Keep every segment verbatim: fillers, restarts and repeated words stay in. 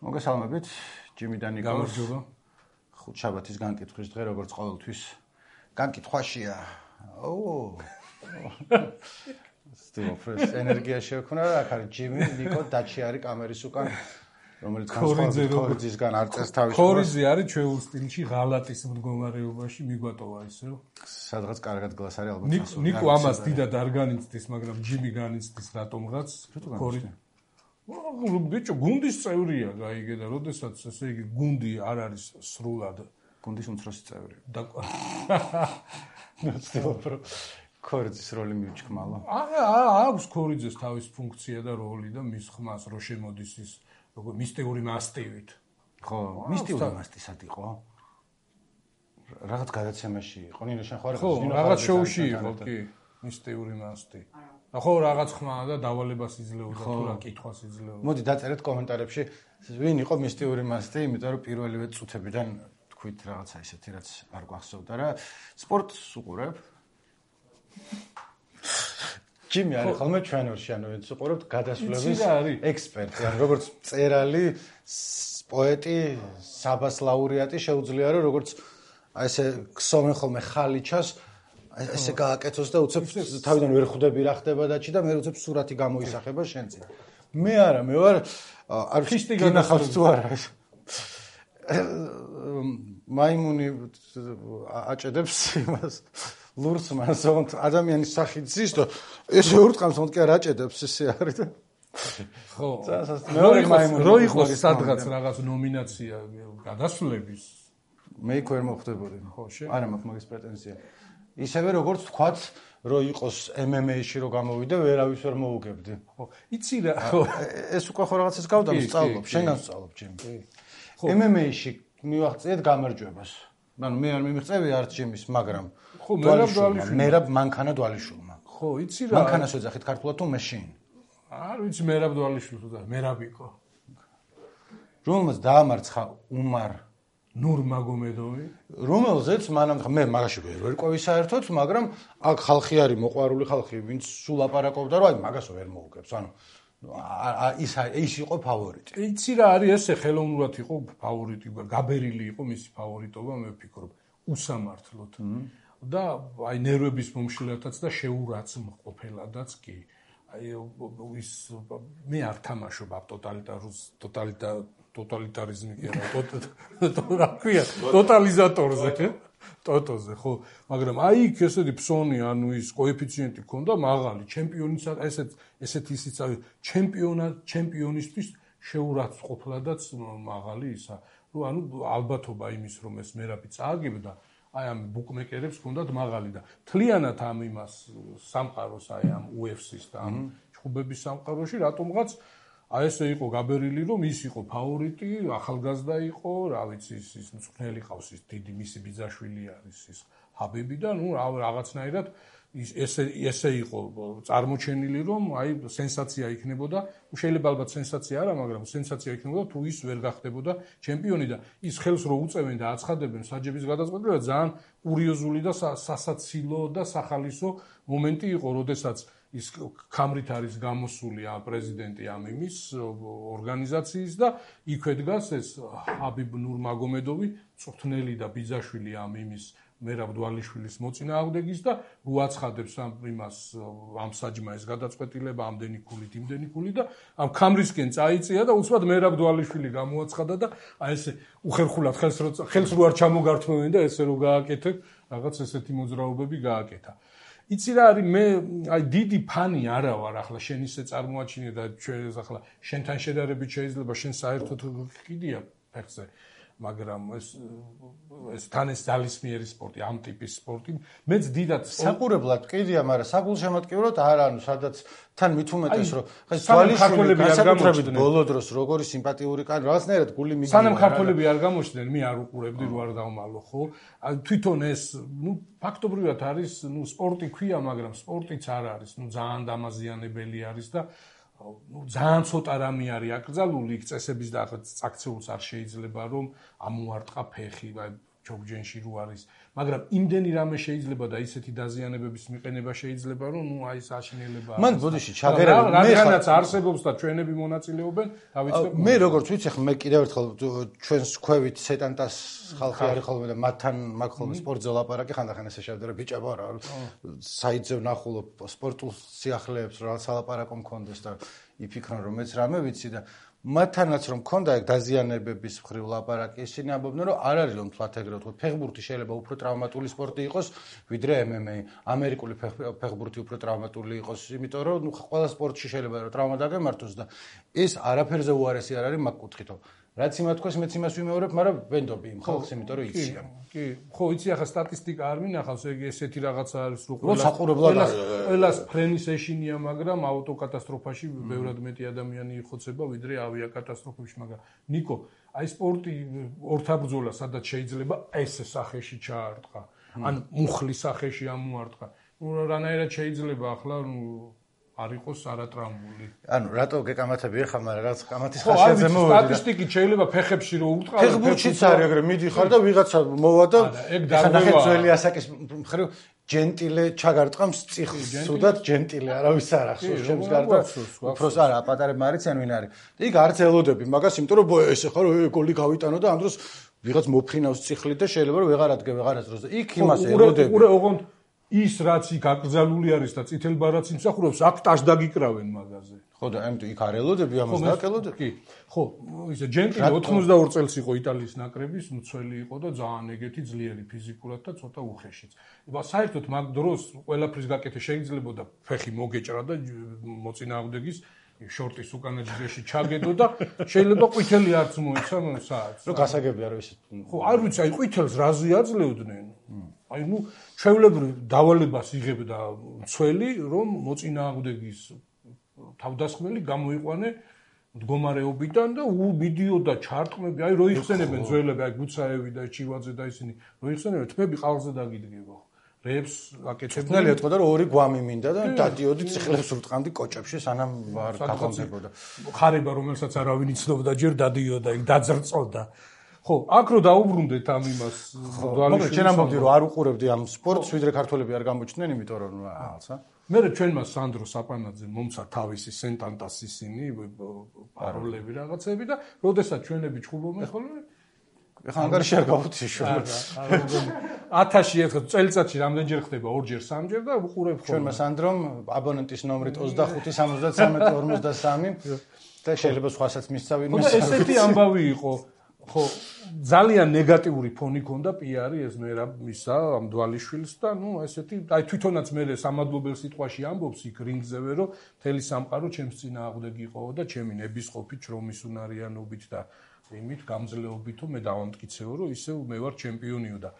მოგესალმებით, ჯიმი და ნიკოს. გამარჯობა. ხუთშაბათის განკითხვის დღე, როგორც ყოველთვის. განკითხვაშია. ოუ. სტილოფრეს ენერგია შეექონა რა, აქ არის ჯიმი, ნიკო, დაჩი არის კამერის უკან, რომელიც განსხვავებით ქორიძისგან არ წერს თავის. ქორიძე არის ჩვეულ სტილში ღალატის მდგომარეობაში მიგვატოვა ისე. სადღაც კარგად გლას არის ალბათ. ნიკო ამას დიდად არ განიცდის, მაგრამ ჯიმი განიცდის რატომღაც. ქორიძე ბიჭო, გუნდის წევრია, გაიგე და როდესაც ესე იგი გუნდი არ არის სრულად გუნდის უმცროსი წევრი. ნაცნობრო ქორიძის როლი მიუჩქმალა. აა აქვს ქორიძეს თავის ფუნქცია და როლი და მის ხმას რო შემოდის ის როგორ მისტიური მასტივით. ხო, მისტიური მასტი სად იყო? რაღაც გადაცემაში იყო, ნინო შენ ხარ? ხო, რაღაც შოუში იყო, კი, მისტიური მასტი. ხო, რაღაც ხმა და დავალებას იძლეოდა თუ რა კითხვას იძლეოდა. მოდი დაწერეთ კომენტარებში, ვინ იყო მისტიური მასტი, იმიტომ რომ პირველივე წუთებიდან თქვით რაღაცა ისეთი, რაც არ გვახსოვდა რა. სპორტს უყურებ? ჯიმი არის ხოლმე ჩვენორში, ანუ ვინც უყურებთ გადასვლების ექსპერტი, ანუ როგორც მწერალი, პოეტი, საბას ლაურეატი შეუძლია რომ როგორც აი ესე ქსოვენ ხოლმე ხალიჩას ესე გააკეთოს და უცებ თავიდან ვერ ხვდები რა ხდება დაჩი და მე უცებ სურათი გამოისახება შენზე. მე არა, მე ვარ არქისტი განახავს თუ არა. მაიმუნი აჭედებს იმას ლურს მასონთ ადამიანის სახით ზის და ესე ურტყამს თქო არ აჭედებს ესე არის და ხო. მეორე მაიმუნი რო იყოს სადღაც რაღაც ნომინაცია გადასვლების მე იქ ვერ მოხვდებოდი. ხო, შე. არა მაქვს მაგის პრეტენზია. ისევე როგორც თქვათ, რომ იყოს ემ ემ ეი-ში რო გამოვიდე, ვერავის ვერ მოუგებდი. ხო, იცი რა, ხო. ეს უკვე ხო რაღაცას გავდა, ვსწავლობ, შენგან ვსწავლობ ჯიმი. ხო. ემ ემ ეი-ში მივახციეთ გამარჯვებას. ანუ მე არ მიმიღწევი არც ჯიმის, მაგრამ ხო, მერაბ დვალიშვილმა. მერაბ მანქანა დვალიშვილმა. ხო, იცი რა. მანქანას ვეძახით ქართულად თუ მეშინ. არ ვიცი მერაბ დვალიშვილს და მერაბიკო. რომელმაც დაამარცხა უმარ ნურმაგომედოვი, რომელზეც მანამ მე მაგაში ვერ ვერკვევი საერთოდ, მაგრამ აქ ხალხი არის მოყვარული ხალხი, ვინც სულ ლაპარაკობდა, რომ აი მაგას ვერ მოუგებს. ანუ ის ის იყო ფავორიტი. იცი რა არის ესე ხელოვნურად იყო ფავორიტი, გაბერილი იყო მისი ფავორიტობა, მე ვფიქრობ, უსამართლოდ. და აი ნერვების მომშლელთაც და შეურაცხმყოფელადაც კი. აი ის მე არ თამაშობ აბ ტოტალიტარულ ტოტალიტარ ტოტალიტარიზმი კი არა, რა ქვია, ტოტალიზატორზე, ტოტოზე, ხო, მაგრამ აი იქ ესეთი ფსონი, ანუ ის კოეფიციენტი ქონდა მაღალი, ჩემპიონის ესეთ ესეთი ისიც არის, ჩემპიონა, ჩემპიონისთვის შეურაცხმყოფლადაც მაღალი ისა. რომ ანუ ალბათობა იმის, რომ ეს მერაბი წააგებდა, აი ამ ბუკმეკერებს ქონდათ მაღალი და თლიანად ამ იმას სამყაროს აი ამ იუ ეფ სი-ს და ამ ჩხუბების სამყაროში რატომღაც აი ესე იყო გაბერილი, რომ ის იყო ფავორიტი, ახალგაზრდა იყო, რა ვიცი, ის მწვრთნელი ყავს, ის დიდი მისი ბიძაშვილი არის, ის ჰაბიბი და ნუ რაღაცნაირად ის ესე ესე იყო წარმოჩენილი, რომ აი სენსაცია იქნებოდა, შეიძლება ალბათ სენსაცია არა, მაგრამ სენსაცია იქნებოდა თუ ის ვერ გახდებოდა ჩემპიონი და ის ხელს რო უწევენ და აცხადებენ საჯების გადაწყვეტილება ძალიან კურიოზული და სასაცილო და სახალისო მომენტი იყო, როდესაც ის ქამრით არის გამოსული ამ პრეზიდენტი ამ იმის ორგანიზაციის და იქვე დგას ეს ჰაბიბ ნურმაგომედოვი, წვრთნელი და ბიძაშვილი ამ იმის მერაბ დვალიშვილის მოწინააღმდეგის და რო აცხადებს ამ იმას ამ საჯმა ეს გადაწყვეტილება ამდენი ქულით, იმდენი ქულით და ამ ქამრისკენ წაიწია და უცბად მერაბ დვალიშვილი გამოაცხადა და აი ესე უხერხულად ხელს რო ხელს რო არ ჩამოგართმევენ და ესე რო გააკეთებ, რაღაც ესეთი მოძრაობები გააკეთა. იცი რა არის მე აი დიდი ფანი არა ვარ ახლა შენ ისე წარმოაჩინე და ჩვენ ახლა შენთან შედარებით შეიძლება შენ საერთოდ კიდია ფეხზე მაგრამ ეს ეს თან ეს ძალისმიერი სპორტი ამ ტიპის სპორტი მეც დიდად საყურებლად კიდია მაგრამ საგულშემატკივროდ არა ანუ სადაც თან მით უმეტეს რომ ხა ძალისმიერი განსაკუთრებით ბოლო დროს როგორი სიმპათიური კანი რაღაცნაირად გული მიგვივა სანამ ქართველები არ გამოჩნდნენ მე არ უყურებდი რო არ დავმალო ხო თვითონ ეს ნუ ფაქტობრივად არის ნუ სპორტი ქვია მაგრამ სპორტიც არ არის ნუ ძალიან დამაზიანებელი არის და ну ძალიან ცოტა რამე არის აკრძალული იქ წესების და ახლა წაქცეულს არ შეიძლება რომ ამოარტყა ფეხი ჩოგჯენში რო არის, მაგრამ იმდენი რამე შეიძლება და ისეთი დაზიანებების მიყენება შეიძლება, რომ ნუ აი საშინელება. მან ბოდიში ჩაგერები მე რადგანაც არსებობს და ჩვენები მონაწილეობენ, დავიწყებ. მე როგორც ვიცი, ხა მე კიდევ ერთხელ ჩვენს ქვევით სეტანტას ხალხი არის ხოლმე და მათთან მაგ ხოლმე სპორტზე ლაპარაკი ხანდახან ესე შევდე რა ბიჭებო რა საიტზე ვნახულობ სპორტულ სიახლეებს რა სალაპარაკო მქონდეს და იფიქრონ რომ მეც რამე ვიცი და მათთანაც რომ მქონდა ეგ დაზიანებების მხრივ ლაპარაკი ისინი ამბობდნენ რომ არ არის რომ თვათ ეგრე ვთქვათ ფეხბურთი შეიძლება უფრო ტრავმატული სპორტი იყოს ვიდრე ემ ემ ეი ამერიკული ფეხბურთი უფრო ტრავმატული იყოს იმიტომ რომ ნუ ყველა სპორტში შეიძლება რომ ტრავმა დაგემართოს და ეს არაფერზე უარესი არ არის მაგ კუთხითო რაც იმათ თქოს მეც იმას ვიმეორებ მაგრამ ვენდობი იმ ხალხს იმიტომ რომ იციან კი ხო იცი ახლა სტატისტიკა არ მინახავს ეგ ესეთი რაღაცა არის რო ყველა ყველას ფრენის ეშინია მაგრამ ავტოკატასტროფაში ბევრად მეტი ადამიანი იხოცება ვიდრე ავიაკატასტროფებში მაგრამ ნიკო აი სპორტი ორთაბრძოლა სადაც შეიძლება ეს სახეში ჩაარტყა ან მუხლის სახეში ამოარტყა ნუ რანაირად შეიძლება ახლა არ იყოს არატრამული. ანუ რატო გეკამათები ხარ, მაგრამ რაც კამათის ხასიათზე მოვედი. სტატისტიკით შეიძლება ფეხებში რო ურტყავ, ფეხბურთშიც არის ეგრე, მიდიხარ და ვიღაცა მოვა და ნახეთ ძველი ასაკის მხრივ ჯენტილე ჩაგარტყამს წიხს, სუდად ჯენტილე, არავის არ ახსოვს ჩემს გარდა. უფროს არა, პატარებმა არიციან ვინ არის. და იქ არც ელოდები მაგას, იმიტომ რომ ეს ახლა გოლი გავიტანო და ამ დროს ვიღაც მოფრინავს წიხლით და შეიძლება რომ ვეღარ ადგე ვეღარაც დროს და იქ იმას ელოდები. უყურე ოღონდ ის რაც იქ აკრძალული არის და წითელ ბარათს იმსახურებს, აქ ტაშ დაგიკრავენ მაგაზე. ხო და ამიტომ იქ არ ელოდები, ამას დააკელოდები. კი. ხო, ისე ჯენტილი ოცდაოთხ წელს იყო იტალიის ნაკრების მცველი იყო და ძალიან ეგეთი ძლიერი ფიზიკურად და ცოტა უხეშიც. ება საერთოდ მაგ დროს ყველაფრის გაკეთე შეიძლებოდა ფეხი მოგეჭრა და მოწინააღმდეგის შორტის უკანა ჯგუფში ჩაგედო და შეიძლება ყვითელი არც მოეცა საათს. რო გასაგებია რომ ისე. ხო, არ ვიცი, აი ყვითელს რაზე აძლევდნენ. აი ნუ ჩვეულებრივ დავალებას იღებდა მცველი, რომ მოწინააღმდეგის თავდასხმელი გამოიყვანე მდგომარეობიდან და მიდიოდა ჩარტყმები, აი რო იხსენებენ ძველები, აი გუცაევი და ჩივაძე და ისინი, რო იხსენებენ თმები ყალზე დაგიდგება. რეებს აკეთებდნენ. ნელი ეთქვა და ორი გვამი მინდა და დადიოდი ციხლებს ურტყამდი კოჭებში, სანამ არ გაგონდებოდა. ხარება რომელსაც არავინ იცნობდა, ჯერ დადიოდა, იქ დაძრწოდა. ხო, აქ რო დაუბრუნდეთ ამ იმას, მაგრამ ჩვენ ამბობდი რომ არ უყურებდი ამ სპორტს, ვიდრე ქართველები არ გამოჩნდნენ, იმიტომ რომ რაღაცა. მე ჩვენმა სანდრო საპანაძე მომცა თავისი სენტანტას ისინი პაროლები რაღაცები და როდესაც ჩვენები ჩხუბობენ ხოლმე ეხლა ანგარიში არ გავუთიშო. ათასი ერთხელ წელიწადში რამდენჯერ ხდება ორჯერ სამჯერ და უყურებ ხოლმე. ჩვენმა სანდრომ აბონენტის ნომრით ოცდახუთი სამოცდათრამეტი ორმოცდასამი და შეიძლება სხვასაც მისცა ვინმე. და ესეთი ამბავი იყო. ხო, ძალიან ნეგატიური ფონი ქონდა პიარი ეს მერაბ მისა ამ დვალიშვილს და ნუ ესეთი აი თვითონაც მე სამადლობელ სიტყვაში ამბობს იქ რინგზევე რომ მთელი სამყარო ჩემს წინააღმდეგი იყო და ჩემი ნებისყოფით შრომის უნარიანობით და იმით გამძლეობითო მე დავამტკიცეო რომ ისევ მე ვარ ჩემპიონიო და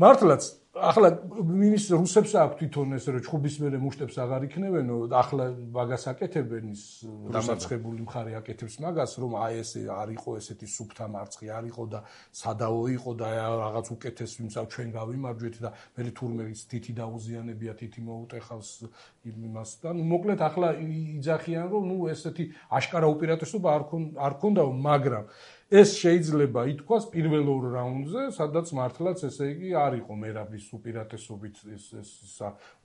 მართლაც ახლა მინის რუსებს აქვს თვითონ ეს რომ ჩხუბის მერე მუშტებს აღარ იქნებენო ახლა მაგას აკეთებენ ის დამარცხებული მხარე აკეთებს მაგას რომ აი ეს არ იყო ესეთი სუფთა მარცხი არ იყო და სადაო იყო და რაღაც უკეთეს ვიმსავ ჩვენ გავიმარჯვეთ და მე თურმეის თითი დაუზიანებია თითი მოუტეხავს იმას და ნუ მოკლედ ახლა იძახიან რომ ნუ ესეთი აშკარა უპირატესობა არ არ ქონდაო მაგრამ ეს შეიძლება ითქვას პირველ ორ რაუნდზე, სადაც მართლაც ესე იგი არ იყო მერაბის უპირატესობით ეს ეს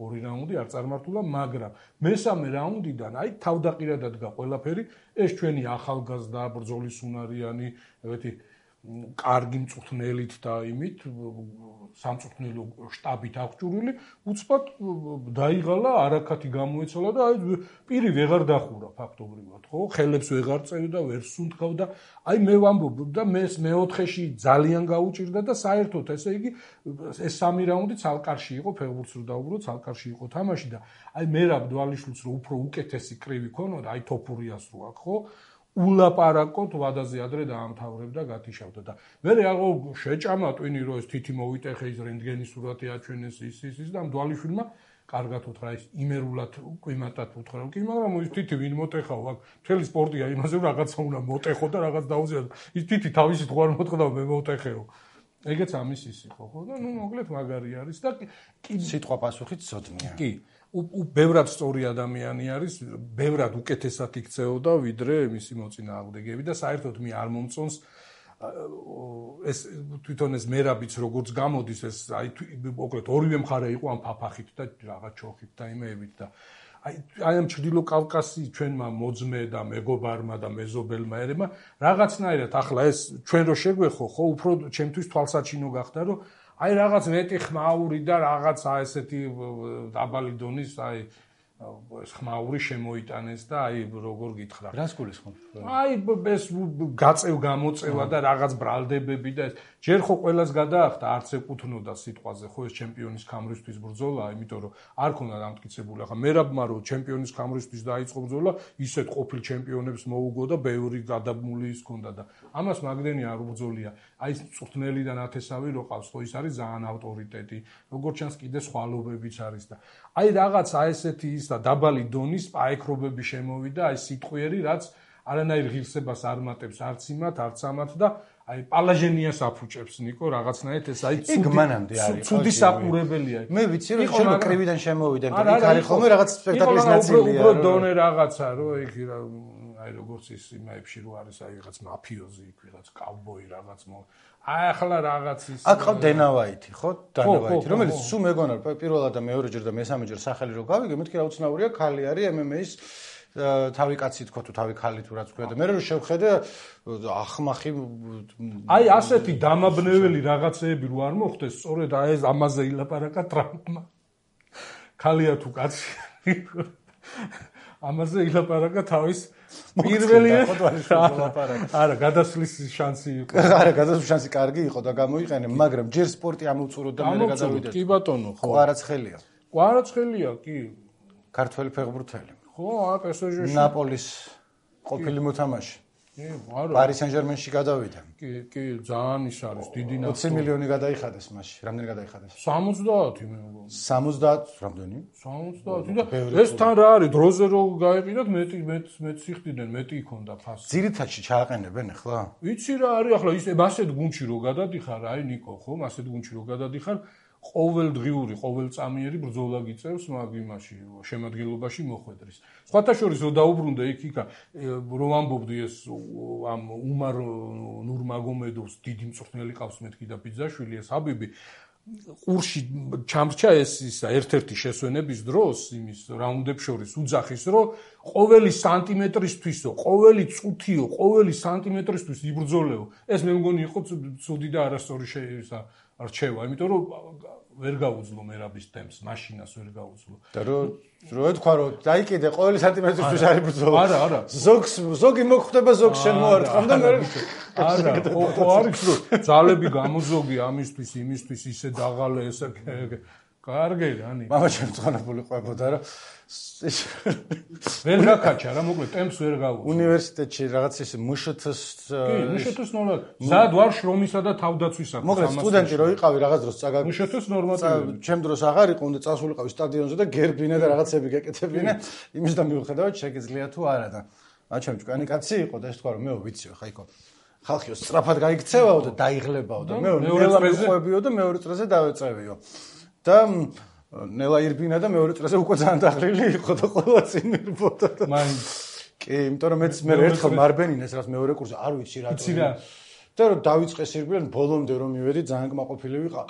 ორი რაუნდი არ წარმართულა, მაგრამ მესამე რაუნდიდან აი თავდაყირად ადგა ყველაფერი, ეს ჩვენი ახალგაზრდა ბრძოლის უნარიანი, ეგეთი კარგი მწვრთნელით და იმით სამწვრთნელო შტაბით აღჭურვილი, უცბად დაიღალა, არაქათი გამოეცალა და აი პირი ვეღარ დახურა ფაქტობრივად, ხო? ხელებს ვეღარ წერდა, ვერ სუნთქავდა. აი მე ვამბობ და მე მეოთხეში ძალიან გაუჭირდა და საერთოდ ესე იგი ეს სამი რაუნდი ცალკარში იყო, ფეხბურთს რო დაუბრუნდ, ცალკარში იყო თამაში და აი მერაბ დვალიშვილს რო უფრო უკეთესი კრივი ქონოდა, აი თოფურიას რო აქ, ხო? ულაპარაკოთ ვადაზე ადრე დაამთავრებდა გათიშავდა და მე რეალო შეჭამა ტვინი რომ ეს თითი მოვიტეხე ის რენტგენის სურათი აჩვენეს ის ის ის და დვალიშვილმა კარგად უთხრა ის იმერულად ყიმატად უთხრა რომ კი მაგრამ ის თითი ვინ მოტეხავ აქ მთელი სპორტია იმაზე რომ რაღაცა უნდა მოტეხო და რაღაც დაუზიადო ის თითი თავისი თوار მოტყდა მე მოტეხეო ეგეც ამის ის იყო ხო და ნუ მოკლედ მაგარი არის და კი სიტყვა პასუხით ზოდნია კი უ ბევრად სწორი ადამიანი არის, ბევრად უკეთესად იქცეოდა ვიდრე მისი მოწინააღმდეგეები და საერთოდ მე არ მომწონს ეს თვითონ ეს მერაბიც როგორც გამოდის ეს აი მოკლედ ორივე მხარე იყო ამ ფაფახით და რაღაც ჩოხით და იმეებით და აი აი ამ ჩრდილო კავკასიის ჩვენმა მოძმე და მეგობარმა და მეზობელმა ერებმა რაღაცნაირად ახლა ეს ჩვენ რო შეგვეხო ხო უფრო ჩემთვის თვალსაჩინო გახდა რომ აი რაღაც მეტი ხმაური და რაღაც აი ესეთი დაბალი დონის აი ეს ხმაური შემოიტანეს და აი როგორ გითხრა რას გულისხმობ? აი ეს გაწევ გამოწევა და რაღაც ბრალდებები და ეს ჯერ ხო ყველას გადაახდა არც ეკუთვნოდა სიტყვაზე ხო ეს ჩემპიონის ქამრისთვის ბრძოლა იმიტომ რომ არ ქონდა დამტკიცებული ახლა მერაბმა რომ ჩემპიონის ქამრისთვის დაიწყო ბრძოლა ისეთ ყოფილ ჩემპიონებს მოუგო და ბევრი გადაბმული ის ქონდა და ამას მაგდენი არ უბრძოლია აი ეს წვრთნელი და ნათესავი რო ყავს ხო ის არის ძალიან ავტორიტეტი როგორც ჩანს კიდე სხვალობებიც არის და აი რაღაც აი ესეთი ის და დაბალი დონის პაექრობები შემოვიდა აი სიტყვიერი რაც არანაირ ღირსებას არ მატებს არც იმათ არც ამათ და აი პალაჟენიას აფუჭებს ნიკო რაღაცნაირად ეს აი ცუდი ცუდი საყურებელია მე ვიცი რომ შენ კრივიდან შემოვიდა და იქ არის ხოლმე რაღაც სპექტაკლის ნაწილია უფრო დონე რაღაცა რომ იქ აი როგორც ის იმაებში რო არის აი რაღაც მაფიოზი იქ რაღაც კავბოი რაღაც მო აი ახლა რაღაც ის აქ ყავ დენავაიტი ხო დენავაიტი რომელიც სულ მეგონა პირველად და მეორეჯერ და მესამეჯერ სახელი რო გავიგე მეთქი რა უცნაურია ქალი არის ემ ემ ეის თავი კაცი თქო თუ თავი ქალი თუ რაც ქვია და მე რო შევხედე ახმახი აი ასეთი დამაბნეველი რაღაცეები რო არ მოხდეს სწორედ აი ეს ამაზე ილაპარაკა ტრამპმა ქალია თუ კაცი ამაზე ილაპარაკა თავის პირველი არა გადასვლის შანსი იყო არა გადასვლის შანსი კარგი იყო და გამოიყენე მაგრამ ჯერ სპორტი ამოვწურო და მე გადავიდე კი ბატონო ხო კვარაცხელია კვარაცხელია კი ქართველი ფეხბურთელი ხო აა პესეჟეში ნაპოლის ყოფილი მოთამაშე კი არა პარი სენ-ჟერმენში გადავიდა კი კი ძალიან ის არის დიდი ნახტო ოცი მილიონი გადაიხადეს მასში რამდენი გადაიხადეს სამოცდაათი მე მგონი სამოცდაათი რამდენი სამოცდაათი და ეს თან რა არის დროზე რო გაეყიდათ მეტი მეტ მეტ სიხდიდნენ მეტი იქონდა ფასი ძირითადში ჩააყენებენ ახლა ვიცი რა არის ახლა ის მასეთ გუნდში რო გადადიხარ აი ნიკო ხო მასეთ გუნდში რო გადადიხარ ყოველდღიური, ყოველწამიერი ბრძოლა გიწევს მაგ იმაში შემადგენლობაში მოხვედრის. სხვათა შორის რო დაუბრუნდა იქ-იქა რომ ამბობდი ეს ამ უმარ ნურმაგომედოვს დიდი მწვრთნელი ყავს მეთქი და ბიძაშვილი ეს აბიბი ყურში ჩამრჩა ეს ისა ერთ-ერთი შესვენების დროს იმის რაუნდებს შორის უძახის რომ ყოველი სანტიმეტრისთვისო, ყოველი წუთიო, ყოველი სანტიმეტრისთვის იბრძოლეო. ეს მე მგონი იყო ცუდი და არასწორი შეისა არჩევა, იმიტომ რომ ვერ გაუძლო მერაბის ტემპს, მაშინას ვერ გაუძლო. და რო რო ეთქვა რომ დაიკიდე ყოველი სანტიმეტრისთვის არის ბრძოლა. არა, არა. ზოგს ზოგი მოხვდება ზოგს შენ მოარტყამ და მე არა, ხო ხო არის რომ ძალები გამოზოგი ამისთვის, იმისთვის ისე დაღალე ესე კარგი რანი. მამა შემწყანებული ყვებოდა რა ვერ გაკაჩა რა მოკლედ ტემპს ვერ გაუძლო. უნივერსიტეტში რაღაც ის მშთ-ს კი, მშთ-ს ნორმალ. ზად ვარ შრომისა და თავდაცვისა. მოკლედ სტუდენტი რო იყავი რაღაც დროს წაგა მშთ-ს ნორმატივი. ჩემ დროს აღარ იყო უნდა წასულიყავი სტადიონზე და გერბინე და რაღაცები გეკეთებინე. იმის და მიუხედავად შეგიძლია თუ არა და აჩემ ჭკვიანი კაცი იყო და ეს თქვა რომ მეო ვიციო ხა იქო ხალხიო სწრაფად გაიქცევაო და დაიღლებაო და მე მეორე წრეზე და მეორე წრეზე დავეწევიო. და ნელა ირბინა და მეორე წრეზე უკვე ძალიან დაღლილი იყო და ყველა წინ ირბოდა და მაინც კი იმიტომ რომ მეც მე ერთხელ მარბენინეს რაც მეორე კურსზე არ ვიცი რა ვიცი რა და რომ დავიწყეს ირბიან ბოლომდე რომ მივედი ძალიან კმაყოფილი ვიყავ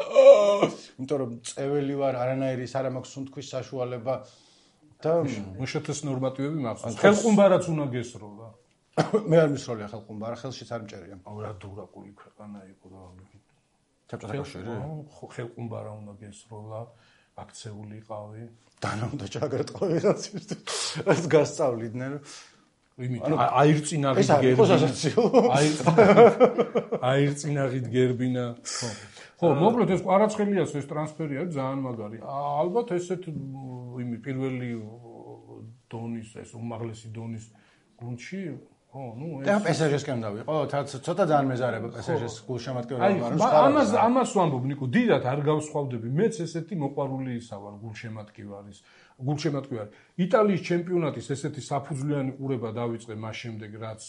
იმიტომ რომ წეველი ვარ არანაირი ის არ მაქვს სუნთქვის საშუალება და მშთ-ს ნორმატივები მახსოვს ხელყუმბარაც უნდა გესროლა მე არ მისროლია ხელყუმბარა ხელშიც არ მჭერია რა დურაკული ქვეყანა იყო და ჩაპჭაკაშერი ხო ხელყუმბარა უნდა გესროლა აქცეული იყავი დანა უნდა ჩაგარტყო ვიღაც ის გასწავლიდნენ იმით აირწინაღით გერბინა აირწინაღით გერბინა ხო ხო მოკლედ ეს კვარაცხელიას ეს ტრანსფერი არის ძალიან მაგარი ალბათ ესეთ იმი პირველი დონის ეს უმაღლესი დონის გუნდში ხო, ну, ეს პესეჟესკენ დავიყო, ცოტა ძალიან მეზარება პესეჟეს გულშემატკივრობა, მაგრამ ამას ამას ვამბობ, ნიკო, დიდად არ გავსხვავდები. მეც ესეთი მოყვარული ისა ვარ გულშემატკივარის, გულშემატკივარი. იტალიის ჩემპიონატის ესეთი საფუძვლიანი ყურება დავიწყე მას შემდეგ, რაც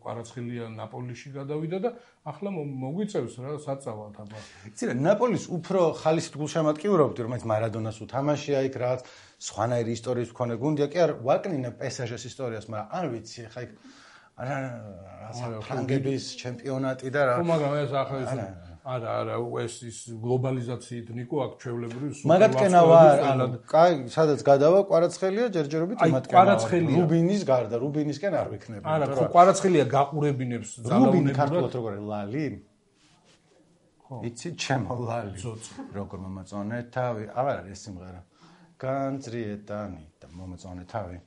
კვარაცხელია ნაპოლიში გადავიდა და ახლა მოგვიწევს რა საწავად აბა. იცი რა, ნაპოლის უფრო ხალისით გულშემატკივრობდი, რომელიც მარადონას უთამაშია იქ რაღაც სხვანაირი ისტორიის მქონე გუნდია, კი არ ვაკნინე პესეჟეს ისტორიას, მაგრამ არ ვიცი, ხა იქ არა ფრანგების ჩემპიონატი და რა. ხო, მაგრამ ეს ახლა ის არა, არა, ეს ის გლობალიზაციით ნიკო აქ ჩვეულებრივ სუპერ მაგათკენა ვარ, ანუ კაი, სადაც გადავა, კვარაცხელია ჯერჯერობით იმათკენა. რუბინის გარდა, რუბინისკენ არ ვიქნები. არა, ხო, კვარაცხელია გაყურებინებს ძალაუნებურად. რუბინი ქართულად როგორ ლალი? ხო. იცი, ჩემო ლალი. როგორ მომაწონე თავი, აღარ არის ეს სიმღერა. განძრიეტანი და მომაწონე თავი.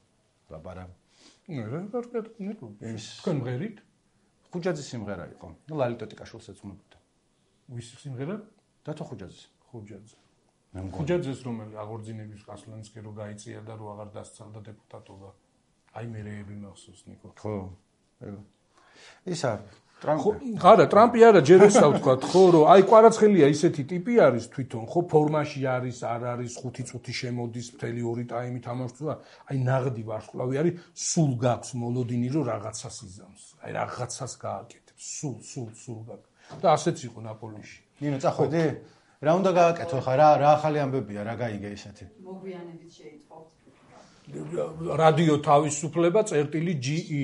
ლაბარა. ნუ, რა კარგად ნიკო. თქვენ მღერით? ხუჯაძის სიმღერა იყო. ნუ ლალი ტოტიკაშვილსაც უმებდა. ვის სიმღერა? დათო ხუჯაძის. ხუჯაძე. ხუჯაძეს რომელი აღორძინების კასლანსკი რო გაიწია და რო აღარ დასცალდა დეპუტატობა. აი მე რეები მახსოვს ნიკო. ხო. ისა ტრამპი. არა, ტრამპი არა, ჯერ ესა ვთქვა, ხო, რომ აი კვარაცხელია ისეთი ტიპი არის თვითონ, ხო, ფორმაში არის, არ არის, ხუთი წუთი შემოდის, მთელი ორი ტაიმი თამაშობს, აი ნაღდი ვარსკვლავი არის, სულ გაქვს მოლოდინი, რომ რაღაცას იზამს. აი რაღაცას გააკეთებს, სულ, სულ, სულ გაქვს. და ასეც იყო ნაპოლიში. ნინო, წახვედი? რა უნდა გააკეთო ხა, რა რა ახალი ამბებია, რა გაიგე ისეთი? მოგვიანებით შეიტყოთ. რადიო თავისუფლება წერტილი ჯი ი.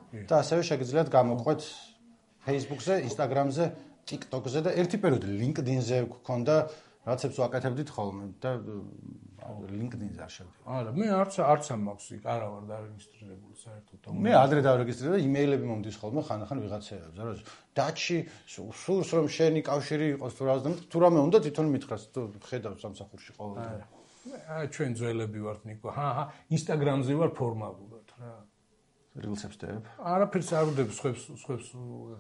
და ასევე შეგიძლიათ გამოყვეთ Facebook-ზე, Instagram-ზე, TikTok-ზე და ერთი პერიოდი LinkedIn-ზე გქონდა, რაღაცებს ვაკეთებდით ხოლმე და LinkedIn-ზე არ შევდივარ. არა, მე არც არც ამ მაქვს იქ, არა ვარ დარეგისტრირებული საერთოდ. მე ადრე დავრეგისტრირე და იმეილები მომდის ხოლმე ხანდახან ვიღაცეებზე, რომ დაჩი სურს რომ შენი კავშირი იყოს თუ რას და თუ რამე უნდა თვითონ მითხრას, თუ ხედავს სამსახურში ყოველდღე. აი ჩვენ ძველები ვართ ნიკო. ჰა, ჰა, Instagram-ზე ვარ ფორმალურად რა. რილსებს დებ? არაფერს არ ვდებ, სხვებს სხვებს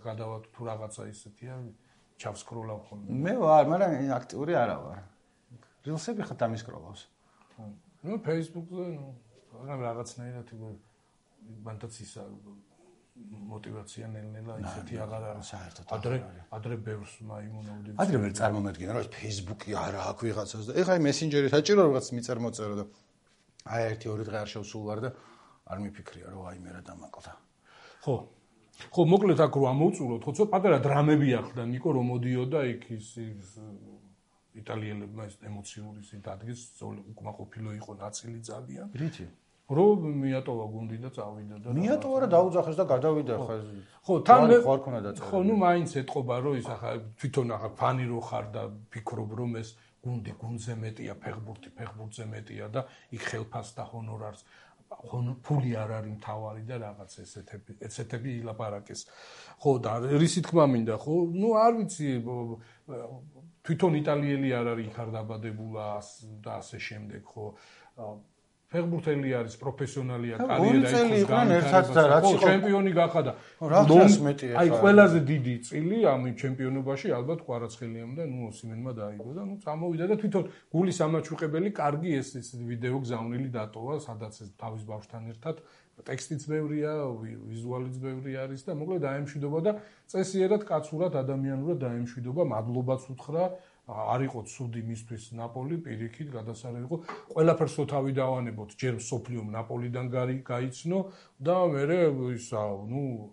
გადავათ თუ რაღაცა ისეთია, ჩავსკროლავ ხოლმე. მე ვარ, მაგრამ აქტიური არა ვარ. რილსები ხა დამისკროლავს. ნუ Facebook-ზე, ნუ მაგრამ რაღაცნაირად იყო მანდაც ისა мотивация ნელ-ნელა ისეთი აღარ არის საერთოდ. ადრე ადრე ბევრს მაიმუნავდი. ადრე ვერ წარმომედგენა რომ ეს Facebook-ი არა აქვს ვიღაცას და ეხლა აი მესენჯერი საჭირო რაღაც მიწერმოწერო და აი ერთი ორი დღე არ შევსულ ვარ და არ მიფიქრია რომ აი მე რა დამაკლდა. ხო. ხო, მოკლედ აქ რო ამოვწუროთ, ხო, ცოტა პატარა დრამები ახლა ნიკო რომ მოდიოდა იქ ის იტალიელებმა ეს ემოციური ის დადგეს, უკმაყოფილო იყო ნაწილი ძალიან. რითი? რომ მიატოვა გუნდი და წავიდა და მიატოვა რა დაუძახეს და გადავიდა ხა. ხო, თან ხوار ქონა დაწერა. ხო, ნუ მაინც ეთყობა რომ ის ახლა თვითონ ახლა ფანი რო ხარ და ფიქრობ რომ ეს გუნდი გუნდზე მეტია, ფეხბურთი ფეხბურთზე მეტია და იქ ხელფასს და ჰონორარს ფული არ არის მთავარი და რაღაც ესეთები ესეთები ილაპარაკეს. ხო და რისი თქმა მინდა, ხო? ნუ არ ვიცი თვითონ იტალიელი არ არის იქ არ დაბადებულა და ასე შემდეგ, ხო? ფეხბურთელი არის, პროფესიონალია, კარიერა იქ განვითარება, ჩემპიონი გახადა. აი ყველაზე დიდი წილი ამ ჩემპიონობაში ალბათ კვარაცხელიამ და ნუ ოსიმენმა დაიგო და ნუ წამოვიდა და თვითონ გულის ამაჩუყებელი კარგი ეს ეს ვიდეო გზავნილი დატოვა, სადაც ეს თავის ბავშვთან ერთად ტექსტიც ბევრია, ვიზუალიც ბევრი არის და მოკლედ დაემშვიდობა და წესიერად კაცურად ადამიანურად დაემშვიდობა, მადლობაც უთხრა. არ იყო ცუდი მისთვის ნაპოლი, პირიქით გადასარევი იყო. ყველაფერს თავი დავანებოთ, ჯერ სოფლიომ ნაპოლიდან გაიცნო და მერე ისა, ნუ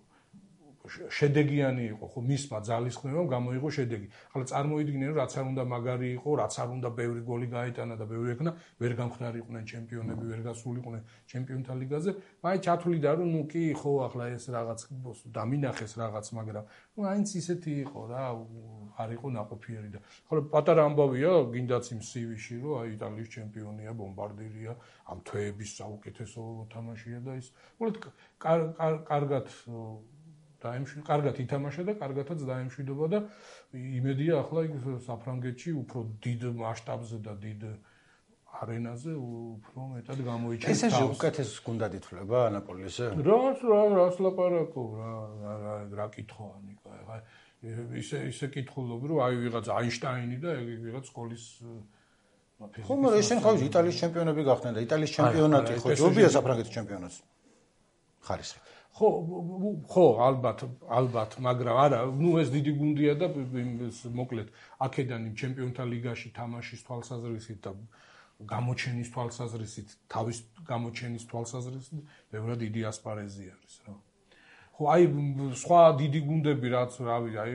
შედეგიანი იყო, ხო, მისმა ძალისხმევამ გამოიღო შედეგი. ახლა წარმოიდგინე, რომ რაც არ უნდა მაგარი იყო, რაც არ უნდა ბევრი გოლი გაიტანა და ბევრი ეკნა, ვერ გამხდარიყვნენ ჩემპიონები, ვერ გასულიყვნენ ჩემპიონთა ლიგაზე. მაინც ჩათვლიდა, რომ ნუ კი, ხო, ახლა ეს რაღაც დამინახეს რაღაც, მაგრამ ნუ აინც ისეთი იყო რა, არ იყო ნაყოფიერი და ხოლო პატარა ამბავია, გინდაც იმ სივიში, რომ აი იტალიის ჩემპიონია, ბომბარდირია, ამ თვეების საუკეთესო თამაშია და ის მოკლედ კარგად დაემშვიდობა, კარგად ითამაშა და კარგადაც დაემშვიდობა და იმედია ახლა იქ საფრანგეთში უფრო დიდ მასშტაბზე და დიდ არენაზე უფრო მეტად გამოიჩენს. ეს ეს უკეთეს გუნდად ითვლება ნაპოლიზე? რას რა რას ლაპარაკობ რა რა რა კითხვა ნიკო ახლა ისე ისე კითხულობ რომ აი ვიღაც აინშტაინი და ვიღაც სკოლის ხო მაგრამ ეს შენ ხავი იტალიის ჩემპიონები გახდნენ და იტალიის ჩემპიონატი ხო ჯობია საფრანგეთის ჩემპიონატს ხარისხი ხო ხო ალბათ ალბათ მაგრამ არა ნუ ეს დიდი გუნდია და მოკლედ აქედან იმ ჩემპიონთა ლიგაში თამაშის თვალსაზრისით და გამოჩენის თვალსაზრისით თავის გამოჩენის თვალსაზრისით ბევრად დიდი ასპარეზი არის რა ხო აი სხვა დიდი გუნდები რაც რავი აი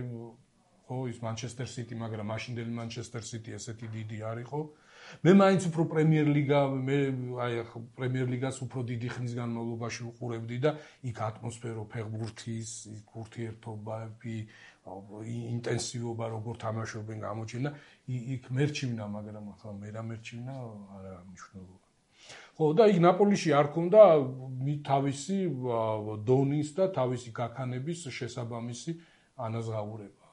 ხო ის მანჩესტერ სიტი მაგრამ მაშინდელი მანჩესტერ სიტი ესეთი დიდი არისო მე მაინც უფრო პრემიერ ლიგა, მე აი პრემიერ ლიგას უფრო დიდი ხნის განმავლობაში უყურებდი და იქ ატმოსფერო, ფეხბურთის, ურთიერთობები, ინტენსივობა როგორ თამაშობენ გამოჩენა, იქ მერჩივნა, მაგრამ ახლა მე რა მერჩივნა, არა მნიშვნელობა. ხო, და იქ ნაპოლიში არ ქონდა თავისი დონის და თავისი გაქანების შესაბამისი ანაზღაურება.